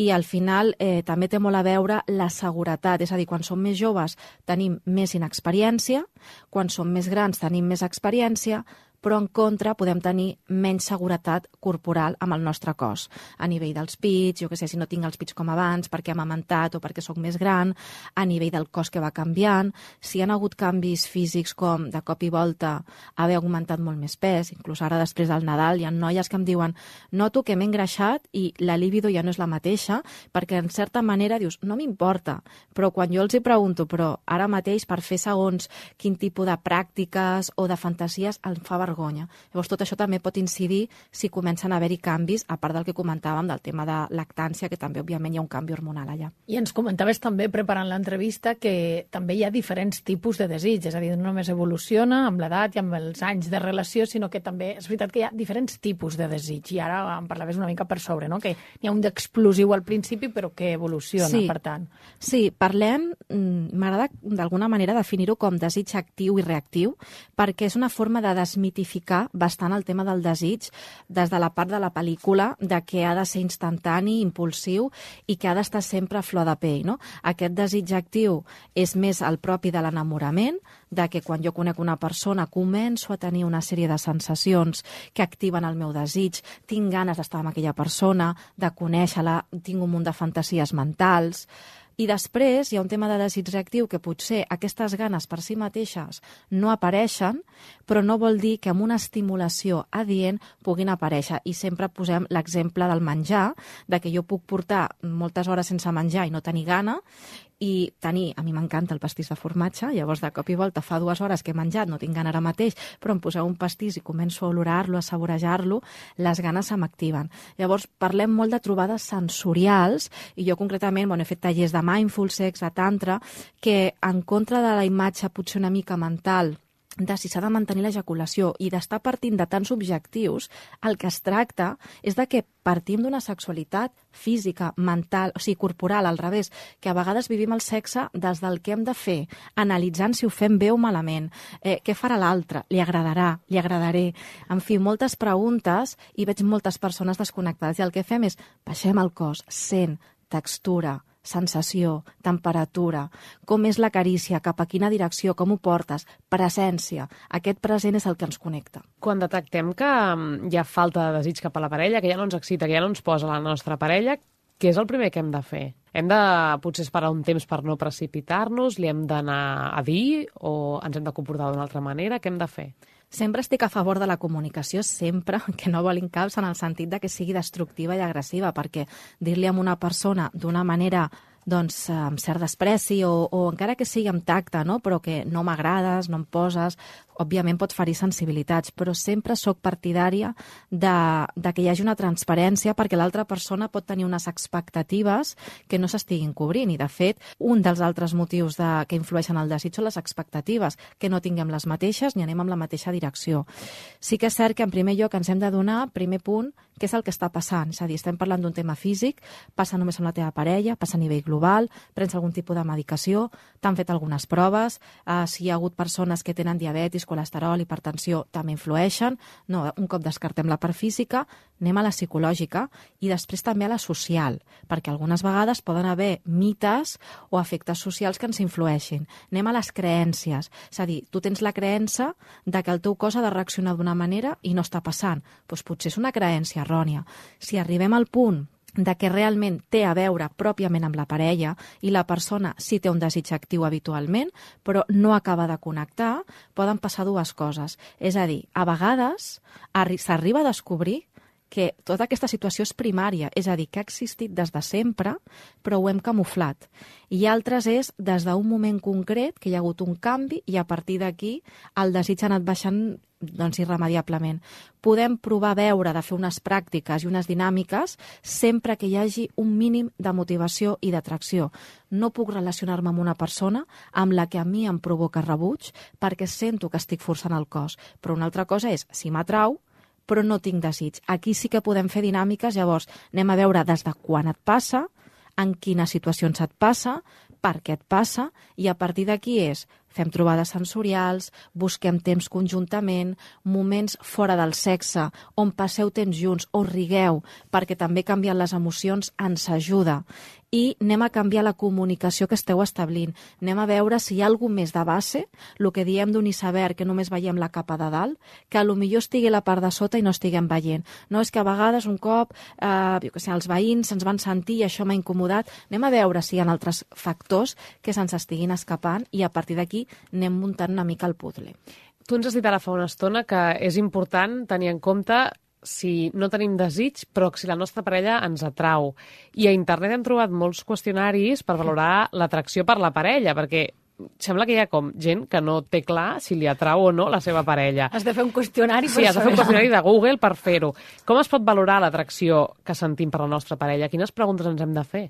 i al final eh, també té molt a veure la seguretat, és a dir, quan som més joves tenim més inexperiència, quan som més grans tenim més experiència, però en contra podem tenir menys seguretat corporal amb el nostre cos. A nivell dels pits, jo què sé, si no tinc els pits com abans, perquè hem amamantat o perquè sóc més gran, a nivell del cos que va canviant, si hi ha hagut canvis físics com de cop i volta haver augmentat molt més pes, inclús ara després del Nadal hi ha noies que em diuen noto que m'he engreixat i la libido ja no és la mateixa, perquè en certa manera dius, no m'importa, però quan jo els hi pregunto, però ara mateix per fer segons quin tipus de pràctiques o de fantasies em fa vergonya. Llavors tot això també pot incidir si comencen a haver-hi canvis, a part del que comentàvem del tema de lactància, que també òbviament hi ha un canvi hormonal allà. I ens comentaves també, preparant l'entrevista, que també hi ha diferents tipus de desig, és a dir, no només evoluciona amb l'edat i amb els anys de relació, sinó que també és veritat que hi ha diferents tipus de desig, i ara em parlaves una mica per sobre, no? Que hi ha un d'explosiu al principi, però que evoluciona, sí. Per tant. Sí, parlem, m'agrada d'alguna manera definir-ho com desig actiu i reactiu, perquè és una forma de desmitificar desmitificar bastant el tema del desig des de la part de la pel·lícula, de que ha de ser instantani, impulsiu i que ha d'estar sempre a flor de pell, no? Aquest desig actiu és més el propi de l'enamorament, de que quan jo conec una persona començo a tenir una sèrie de sensacions que activen el meu desig, tinc ganes d'estar amb aquella persona, de conèixer-la, tinc un munt de fantasies mentals. I després hi ha un tema de desig reactiu que potser aquestes ganes per si mateixes no apareixen, però no vol dir que amb una estimulació adient puguin aparèixer. I sempre posem l'exemple del menjar, de que jo puc portar moltes hores sense menjar i no tenir gana, i tenir, a mi m'encanta el pastís de formatge, llavors de cop i volta fa dues hores que he menjat, no tinc gana ara mateix, però em poseu un pastís i començo a olorar-lo, a saborejar-lo, les ganes se m'activen. Llavors parlem molt de trobades sensorials, i jo concretament bueno, he fet tallers de mindful sex, de tantra, que en contra de la imatge potser una mica mental de si s'ha de mantenir l'ejaculació i d'estar partint de tants objectius, el que es tracta és de que partim d'una sexualitat física, mental, o sigui, corporal, al revés, que a vegades vivim el sexe des del que hem de fer, analitzant si ho fem bé o malament, eh, què farà l'altre, li agradarà, li agradaré, en fi, moltes preguntes i veig moltes persones desconnectades i el que fem és baixem el cos, sent, textura, sensació, temperatura, com és la carícia, cap a quina direcció, com ho portes, presència. Aquest present és el que ens connecta. Quan detectem que hi ha falta de desig cap a la parella, que ja no ens excita, que ja no ens posa la nostra parella, què és el primer que hem de fer? Hem de potser esperar un temps per no precipitar-nos? Li hem d'anar a dir? O ens hem de comportar d'una altra manera? Què hem de fer? Sempre estic a favor de la comunicació, sempre, que no vol incaus en el sentit de que sigui destructiva i agressiva, perquè dir-li a una persona d'una manera doncs, amb cert despreci o, o encara que sigui amb tacte, no? Però que no m'agrades, no em poses, òbviament pot ferir sensibilitats, però sempre sóc partidària de, de que hi hagi una transparència perquè l'altra persona pot tenir unes expectatives que no s'estiguin cobrint i, de fet, un dels altres motius de, que influeixen el desig són les expectatives, que no tinguem les mateixes ni anem amb la mateixa direcció. Sí que és cert que en primer lloc ens hem de donar, primer punt, què és el que està passant. És a dir, estem parlant d'un tema físic, passa només amb la teva parella, passa a nivell global, prens algun tipus de medicació, t'han fet algunes proves, eh, si hi ha hagut persones que tenen diabetis, colesterol, hipertensió, també influeixen. No, un cop descartem la part física, anem a la psicològica i després també a la social, perquè algunes vegades poden haver mites o efectes socials que ens influeixin. Anem a les creències, és a dir, tu tens la creença de que el teu cos ha de reaccionar d'una manera i no està passant. Doncs potser és una creença errònia. Si arribem al punt de que realment té a veure pròpiament amb la parella i la persona sí té un desig actiu habitualment, però no acaba de connectar, poden passar dues coses. És a dir, a vegades s'arriba a descobrir que tota aquesta situació és primària, és a dir, que ha existit des de sempre, però ho hem camuflat. I altres és des d'un moment concret que hi ha hagut un canvi i a partir d'aquí el desig ha anat baixant doncs irremediablement. Podem provar a veure de fer unes pràctiques i unes dinàmiques sempre que hi hagi un mínim de motivació i d'atracció. No puc relacionar-me amb una persona amb la que a mi em provoca rebuig perquè sento que estic forçant el cos. Però una altra cosa és, si m'atrau, però no tinc desig. Aquí sí que podem fer dinàmiques, llavors anem a veure des de quan et passa, en quines situacions et passa, per què et passa, i a partir d'aquí és fem trobades sensorials, busquem temps conjuntament, moments fora del sexe, on passeu temps junts o rigueu, perquè també canviant les emocions ens ajuda. I anem a canviar la comunicació que esteu establint. Anem a veure si hi ha alguna més de base, el que diem d'un iceberg, que només veiem la capa de dalt, que a lo millor estigui la part de sota i no estiguem veient. No, és que a vegades un cop eh, jo que sé, els veïns se'ns van sentir i això m'ha incomodat. Anem a veure si hi ha altres factors que se'ns estiguin escapant i a partir d'aquí anem muntant una mica el puzzle. Tu ens has dit ara fa una estona que és important tenir en compte si no tenim desig, però si la nostra parella ens atrau. I a internet hem trobat molts qüestionaris per valorar l'atracció per la parella, perquè sembla que hi ha com gent que no té clar si li atrau o no la seva parella. Has de fer un qüestionari per Sí, has de fer un qüestionari de Google per fer-ho. Com es pot valorar l'atracció que sentim per la nostra parella? Quines preguntes ens hem de fer?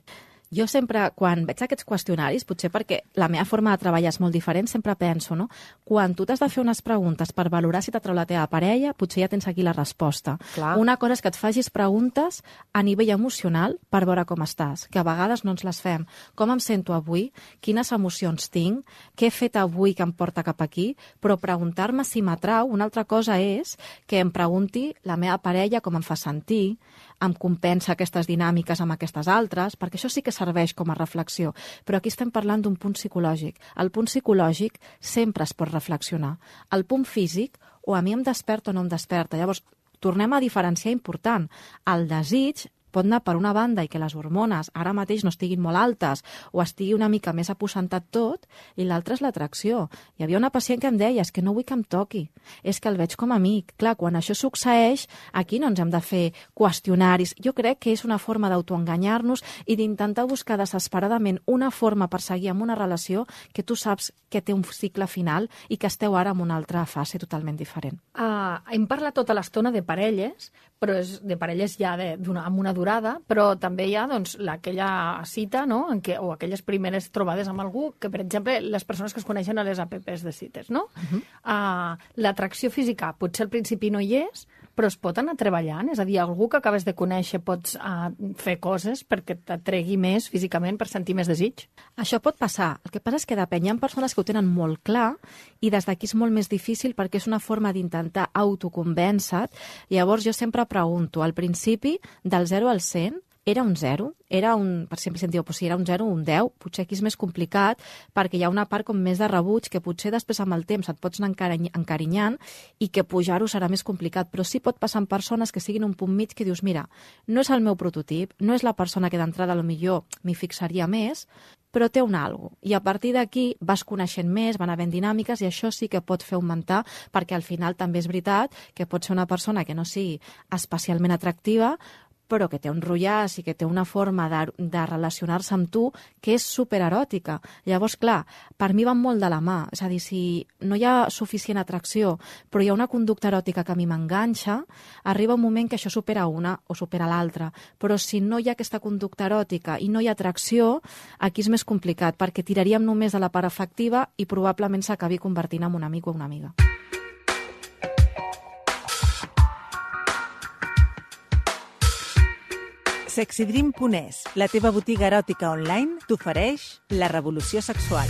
Jo sempre, quan veig aquests qüestionaris, potser perquè la meva forma de treballar és molt diferent, sempre penso, no? Quan tu t'has de fer unes preguntes per valorar si t'atrau la teva parella, potser ja tens aquí la resposta. Clar. Una cosa és que et facis preguntes a nivell emocional per veure com estàs, que a vegades no ens les fem. Com em sento avui? Quines emocions tinc? Què he fet avui que em porta cap aquí? Però preguntar-me si m'atrau, una altra cosa és que em pregunti la meva parella com em fa sentir, em compensa aquestes dinàmiques amb aquestes altres, perquè això sí que serveix com a reflexió. Però aquí estem parlant d'un punt psicològic. El punt psicològic sempre es pot reflexionar. El punt físic, o a mi em desperta o no em desperta. Llavors, tornem a diferenciar important. El desig pot anar per una banda i que les hormones ara mateix no estiguin molt altes o estigui una mica més aposentat tot, i l'altra és l'atracció. Hi havia una pacient que em deia, és que no vull que em toqui, és que el veig com a amic. Clar, quan això succeeix, aquí no ens hem de fer qüestionaris. Jo crec que és una forma d'autoenganyar-nos i d'intentar buscar desesperadament una forma per seguir amb una relació que tu saps que té un cicle final i que esteu ara en una altra fase totalment diferent. Uh, hem parlat tota l'estona de parelles, però és de parelles ja de, amb una durada, però també hi ha doncs, aquella cita, no? En què, o aquelles primeres trobades amb algú, que per exemple les persones que es coneixen a les apps de cites, no? Uh-huh. uh, L'atracció física potser al principi no hi és, però es pot anar treballant, és a dir, algú que acabes de conèixer pots uh, fer coses perquè t'atregui més físicament per sentir més desig? Això pot passar. El que passa és que depèn. Hi ha persones que ho tenen molt clar i des d'aquí és molt més difícil perquè és una forma d'intentar autoconvèncer. Llavors jo sempre pregunto, al principi, del zero al cent, era un zero? Era un, per sempre sentiu, si era un zero o un deu, potser aquí és més complicat perquè hi ha una part com més de rebuig que potser després amb el temps et pots anar encarinyant i que pujar-ho serà més complicat, però sí pot passar en persones que siguin un punt mig que dius, mira, no és el meu prototip, no és la persona que d'entrada millor m'hi fixaria més, però té un algo. I a partir d'aquí vas coneixent més, van havent dinàmiques i això sí que pot fer augmentar perquè al final també és veritat que pot ser una persona que no sigui especialment atractiva, però que té un rotllàs i que té una forma de, de relacionar-se amb tu que és supereròtica. Llavors, clar, per mi van molt de la mà. És a dir, si no hi ha suficient atracció, però hi ha una conducta eròtica que a mi m'enganxa, arriba un moment que això supera una o supera l'altra. Però si no hi ha aquesta conducta eròtica i no hi ha atracció, aquí és més complicat, perquè tiraríem només de la part afectiva i probablement s'acabi convertint en un amic o una amiga. Sexydream punt es, la teva botiga eròtica online, t'ofereix la revolució sexual.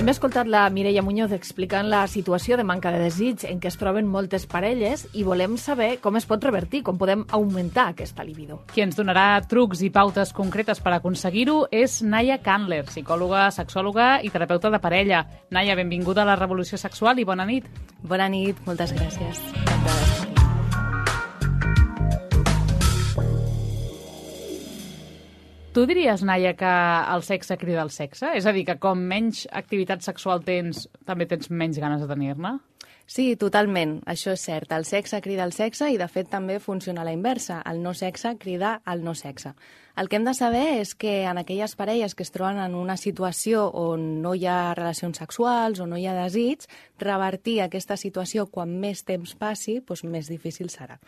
Hem escoltat la Mireia Muñoz explicant la situació de manca de desig en què es troben moltes parelles i volem saber com es pot revertir, com podem augmentar aquesta libido. Qui ens donarà trucs i pautes concretes per aconseguir-ho és Naya Candler, psicòloga, sexòloga i terapeuta de parella. Naya, benvinguda a la Revolució Sexual i bona nit. Bona nit, moltes gràcies. Tu diries, Naya, que el sexe crida el sexe? És a dir, que com menys activitat sexual tens, també tens menys ganes de tenir-ne? Sí, totalment. Això és cert. El sexe crida el sexe i, de fet, també funciona a la inversa. El no sexe crida el no sexe. El que hem de saber és que en aquelles parelles que es troben en una situació on no hi ha relacions sexuals o no hi ha desig, revertir aquesta situació quan més temps passi, doncs més difícil serà.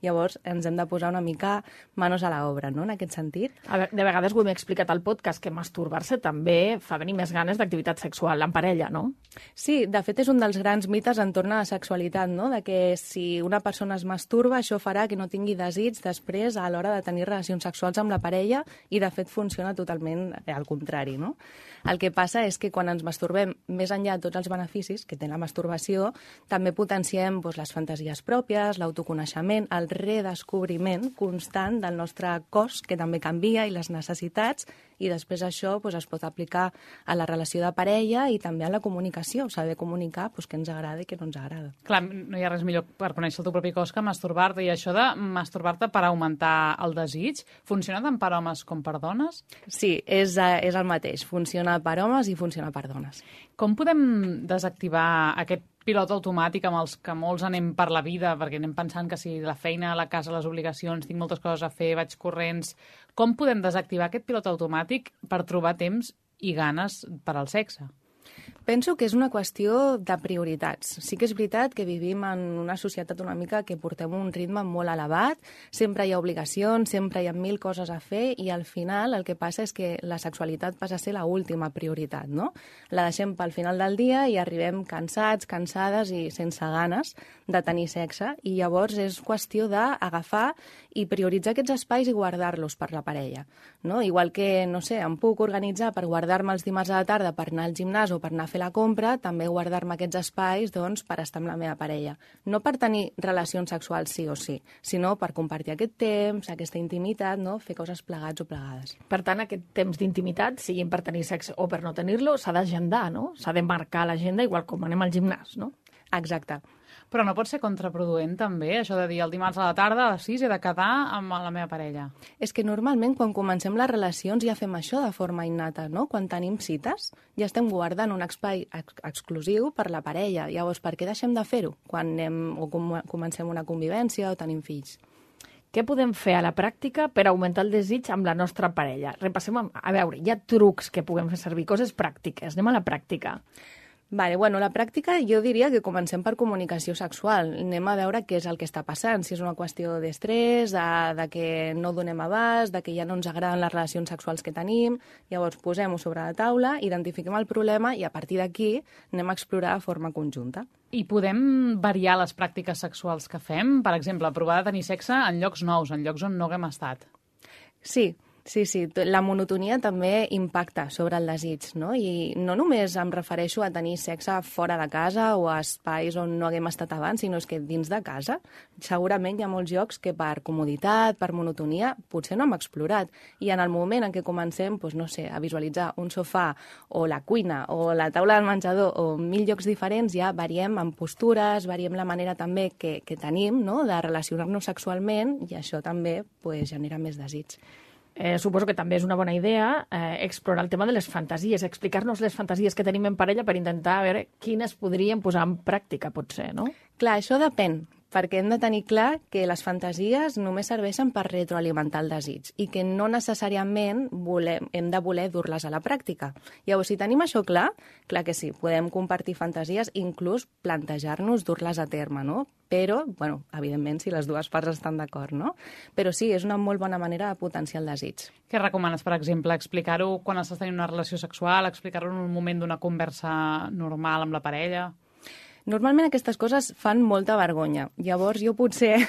Llavors, ens hem de posar una mica manos a l'obra, no?, en aquest sentit. De vegades ho hem explicat al podcast, que masturbar-se també fa venir més ganes d'activitat sexual en parella, no? Sí, de fet és un dels grans mites entorn a la sexualitat, no?, de que si una persona es masturba, això farà que no tingui desig després a l'hora de tenir relacions sexuals amb la parella i, de fet, funciona totalment al contrari, no? El que passa és que quan ens masturbem, més enllà de tots els beneficis que té la masturbació, també potenciem doncs, les fantasies pròpies, l'autoconeixement, el redescobriment constant del nostre cos, que també canvia, i les necessitats, i després això doncs, es pot aplicar a la relació de parella i també a la comunicació, saber comunicar doncs, què ens agrada i què no ens agrada. Clar, no hi ha res millor per conèixer el teu propi cos que masturbar-te, i això de masturbar-te per augmentar el desig, funciona tant per homes com per dones? Sí, és, és el mateix, funciona per homes i funciona per dones. Com podem desactivar aquest pilot automàtic amb els que molts anem per la vida, perquè anem pensant que si la feina, la casa, les obligacions, tinc moltes coses a fer, vaig corrents... Com podem desactivar aquest pilot automàtic per trobar temps i ganes per al sexe? Penso que és una qüestió de prioritats. Sí que és veritat que vivim en una societat una mica que portem un ritme molt elevat, sempre hi ha obligacions, sempre hi ha mil coses a fer i al final el que passa és que la sexualitat passa a ser l'última prioritat, no? La deixem pel final del dia i arribem cansats, cansades i sense ganes de tenir sexe i llavors és qüestió d'agafar i prioritzar aquests espais i guardar-los per la parella, no? Igual que, no sé, em puc organitzar per guardar-me els dimarts a la tarda per anar al gimnàs o per anar a fer la compra, també guardar-me aquests espais doncs, per estar amb la meva parella. No per tenir relacions sexuals sí o sí, sinó per compartir aquest temps, aquesta intimitat, no? Fer coses plegats o plegades. Per tant, aquest temps d'intimitat, siguin per tenir sexe o per no tenir-lo, s'ha d'agendar, no? S'ha de marcar l'agenda igual com anem al gimnàs, no? Exacte. Però no pot ser contraproduent, també, això de dir el dimarts a la tarda a les sis he de quedar amb la meva parella? És que normalment quan comencem les relacions ja fem això de forma innata, no? Quan tenim cites ja estem guardant un espai ex exclusiu per la parella. Llavors, per què deixem de fer-ho quan anem o com comencem una convivència o tenim fills? Què podem fer a la pràctica per augmentar el desig amb la nostra parella? Repassem, a, a veure, hi ha trucs que puguem fer servir, coses pràctiques. Anem a la pràctica. Vale, bueno, la pràctica jo diria que comencem per comunicació sexual. Anem a veure què és el que està passant, si és una qüestió d'estrès, de, de que no donem abast, de que ja no ens agraden les relacions sexuals que tenim. Llavors posem-ho sobre la taula, identifiquem el problema i a partir d'aquí anem a explorar de forma conjunta. I podem variar les pràctiques sexuals que fem? Per exemple, provar de tenir sexe en llocs nous, en llocs on no haguem estat. Sí. Sí, sí, la monotonia també impacta sobre el desig, no? I no només em refereixo a tenir sexe fora de casa o a espais on no haguem estat abans, sinó és que dins de casa segurament hi ha molts llocs que per comoditat, per monotonia, potser no hem explorat. I en el moment en què comencem, doncs, no sé, a visualitzar un sofà o la cuina o la taula del menjador o mil llocs diferents, ja variem en postures, variem la manera també que, que tenim, no?, de relacionar-nos sexualment i això també pues, genera més desig. Eh, suposo que també és una bona idea eh, explorar el tema de les fantasies, explicar-nos les fantasies que tenim en parella per intentar veure quines podríem posar en pràctica, potser, no? Clar, això depèn, perquè hem de tenir clar que les fantasies només serveixen per retroalimentar el desig i que no necessàriament volem, hem de voler dur-les a la pràctica. Llavors, si tenim això clar, clar que sí, podem compartir fantasies, inclús plantejar-nos dur-les a terme, no? Però, bueno, evidentment, si les dues parts estan d'acord, no? Però sí, és una molt bona manera de potenciar el desig. Què recomanes, per exemple? Explicar-ho quan estàs tenint una relació sexual, explicar-ho en un moment d'una conversa normal amb la parella? Normalment aquestes coses fan molta vergonya. Llavors jo potser,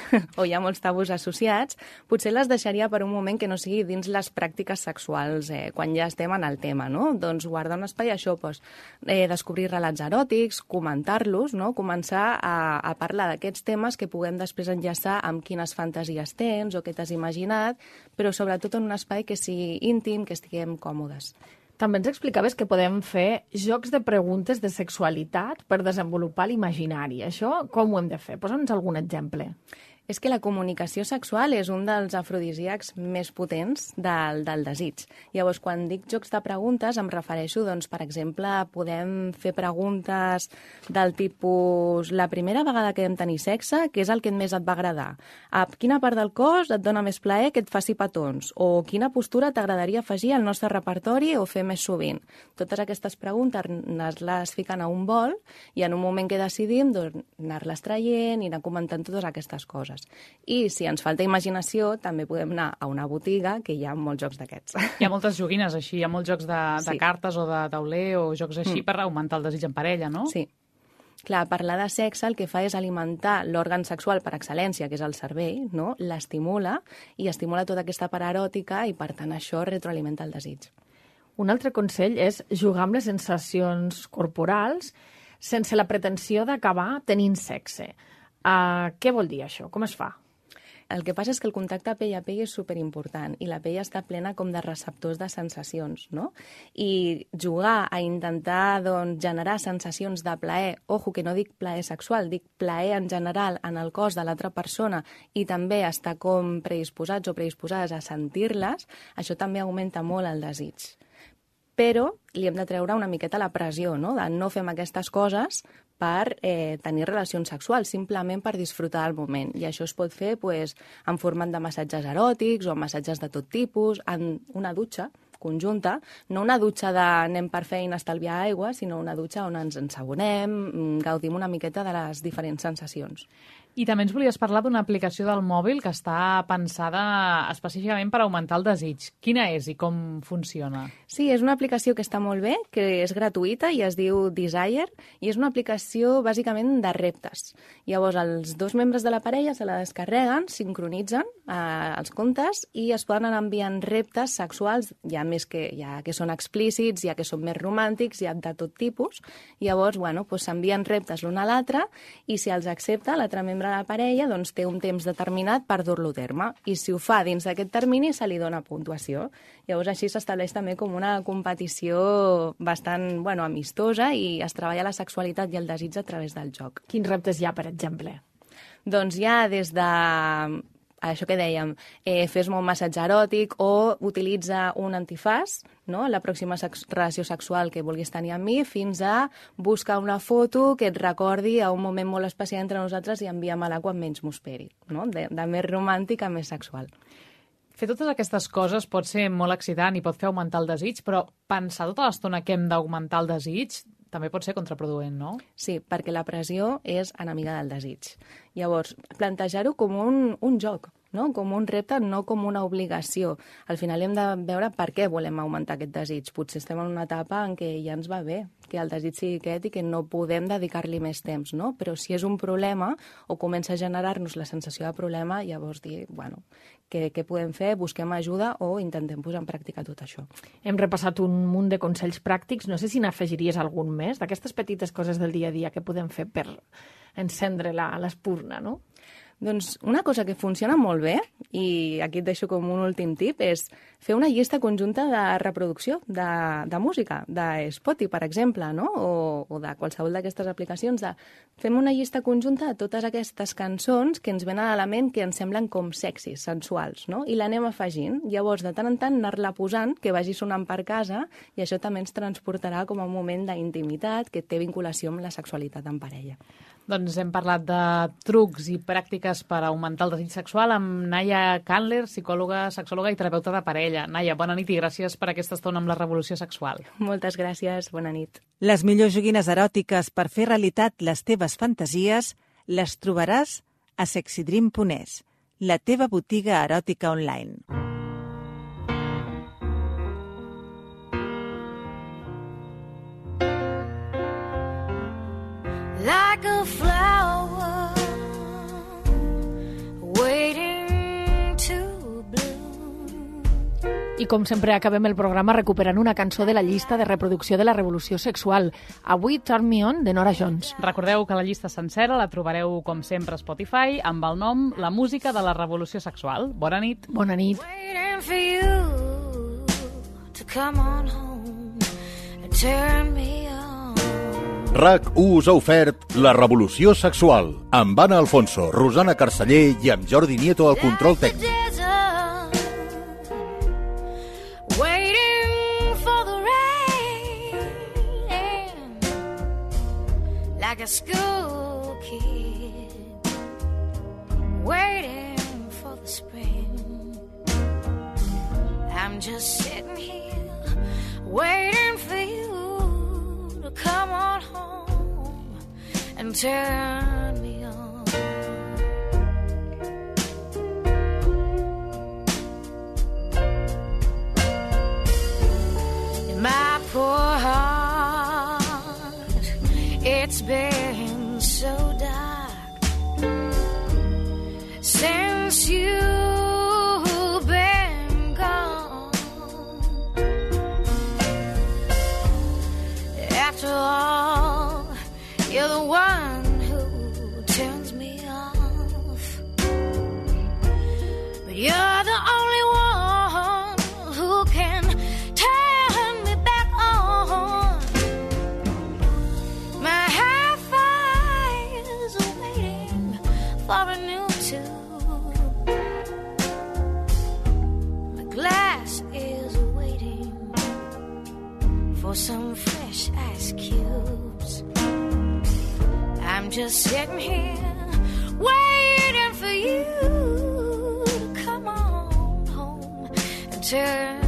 o hi ha molts tabús associats, potser les deixaria per un moment que no sigui dins les pràctiques sexuals, eh, quan ja estem en el tema, no? Doncs guardar un espai, això, doncs, eh, descobrir relats eròtics, comentar-los, no? Començar a, a parlar d'aquests temes que puguem després enllaçar amb quines fantasies tens o què t'has imaginat, però sobretot en un espai que sigui íntim, que estiguem còmodes. També ens explicaves que podem fer jocs de preguntes de sexualitat per desenvolupar l'imaginari. Això com ho hem de fer? Posa'ns algun exemple. És que la comunicació sexual és un dels afrodisíacs més potents del, del desig. Llavors, quan dic jocs de preguntes, em refereixo, doncs, per exemple, podem fer preguntes del tipus la primera vegada que vam tenir sexe, què és el que més et va agradar? A quina part del cos et dona més plaer que et faci petons? O quina postura t'agradaria afegir al nostre repertori o fer més sovint? Totes aquestes preguntes les fiquen a un bol i en un moment que decidim doncs, anar-les traient i anar comentant totes aquestes coses. I si ens falta imaginació, també podem anar a una botiga, que hi ha molts jocs d'aquests. Hi ha moltes joguines així, hi ha molts jocs de, de Sí. cartes o de tauler o jocs així Mm. per augmentar el desig en parella, no? Sí. Clar, parlar de sexe el que fa és alimentar l'òrgan sexual per excel·lència, que és el cervell, no? L'estimula i estimula tota aquesta part eròtica i, per tant, això retroalimenta el desig. Un altre consell és jugar amb les sensacions corporals sense la pretensió d'acabar tenint sexe. Uh, què vol dir això? Com es fa? El que passa és que el contacte pell a pell és superimportant i la pell està plena com de receptors de sensacions, no? I jugar a intentar doncs, generar sensacions de plaer, ojo, que no dic plaer sexual, dic plaer en general en el cos de l'altra persona i també estar com predisposats o predisposades a sentir-les, això també augmenta molt el desig. Però li hem de treure una miqueta la pressió, no? De no fem aquestes coses per eh, tenir relacions sexuals, simplement per disfrutar del moment. I això es pot fer pues, en format de massatges eròtics o massatges de tot tipus, en una dutxa, conjunta, no una dutxa d'anem per feina a estalviar aigua, sinó una dutxa on ens ensabonem, gaudim una miqueta de les diferents sensacions. I també ens volies parlar d'una aplicació del mòbil que està pensada específicament per augmentar el desig. Quina és i com funciona? Sí, és una aplicació que està molt bé, que és gratuïta i es diu Desire, i és una aplicació bàsicament de reptes. Llavors, els dos membres de la parella se la descarreguen, sincronitzen eh, els comptes i es poden anar enviant reptes sexuals, ja més que, ja que són explícits, ja que són més romàntics, ja de tot tipus. Llavors, bueno, doncs s'envien reptes l'un a l'altre i si els accepta l'altre membre de la parella, doncs té un temps determinat per dur-lo a terme. I si ho fa dins d'aquest termini, se li dona puntuació. Llavors, així s'estableix també com una competició bastant, bueno, amistosa i es treballa la sexualitat i el desig a través del joc. Quins reptes hi ha, per exemple? Doncs hi ha des de això que dèiem, eh, fes-me un massatge eròtic o utilitza un antifàs, no?, la pròxima sex relació sexual que vulguis tenir amb mi, fins a buscar una foto que et recordi a un moment molt especial entre nosaltres i envia-me-la quan menys m'ho esperi, no?, de, de més romàntic a més sexual. Fer totes aquestes coses pot ser molt excitant i pot fer augmentar el desig, però pensar tota l'estona que hem d'augmentar el desig també pot ser contraproduent, no? Sí, perquè la pressió és enemiga del desig. Llavors, plantejar-ho com un, un joc, no? Com un repte, no com una obligació. Al final hem de veure per què volem augmentar aquest desig. Potser estem en una etapa en què ja ens va bé, que el desig sigui aquest i que no podem dedicar-li més temps, no? Però si és un problema o comença a generar-nos la sensació de problema, llavors dir, bueno, què, què podem fer? Busquem ajuda o intentem posar en pràctica tot això. Hem repassat un munt de consells pràctics. No sé si n'afegiries algun més d'aquestes petites coses del dia a dia que podem fer per encendre l'espurna, no? Doncs una cosa que funciona molt bé, i aquí et deixo com un últim tip, és fer una llista conjunta de reproducció de, de música, de Spotify, per exemple, no? o, o de qualsevol d'aquestes aplicacions. De... Fem una llista conjunta de totes aquestes cançons que ens venen a la ment que ens semblen com sexis, sensuals, no? I l'anem afegint. Llavors, de tant en tant, anar-la posant, que vagi sonant per casa, i això també ens transportarà com a un moment d'intimitat que té vinculació amb la sexualitat en parella. Doncs hem parlat de trucs i pràctiques per augmentar el desig sexual amb Naia Candler, psicòloga, sexòloga i terapeuta de parella. Naia, bona nit i gràcies per aquesta estona amb la revolució sexual. Moltes gràcies, bona nit. Les millors joguines eròtiques per fer realitat les teves fantasies les trobaràs a sexydream punt es, la teva botiga eròtica online. Like a flower waiting to bloom. I com sempre acabem el programa recuperant una cançó de la llista de reproducció de la revolució sexual. Avui Turn Me On, de Norah Jones. Recordeu que la llista sencera la trobareu, com sempre, a Spotify, amb el nom La música de la revolució sexual. Bona nit. Bona nit. Waiting for you to come on home and turn me on. RAC u us ha ofert La revolució sexual, amb Anna Alfonso, Rosana Carceller i amb Jordi Nieto al control tècnic. Waiting for the rain, like a school kid, waiting for the spring. I'm just sitting here, waiting for you to come on home and turn me on. In my poor heart, it's been so dark since you've been gone. After all, you're the one who turns me off, but you're the only one who can turn me back on. My hi-fi is waiting for a new tube. My glass is waiting for some fresh ice cubes. I'm just sitting here waiting for you to come on home and turn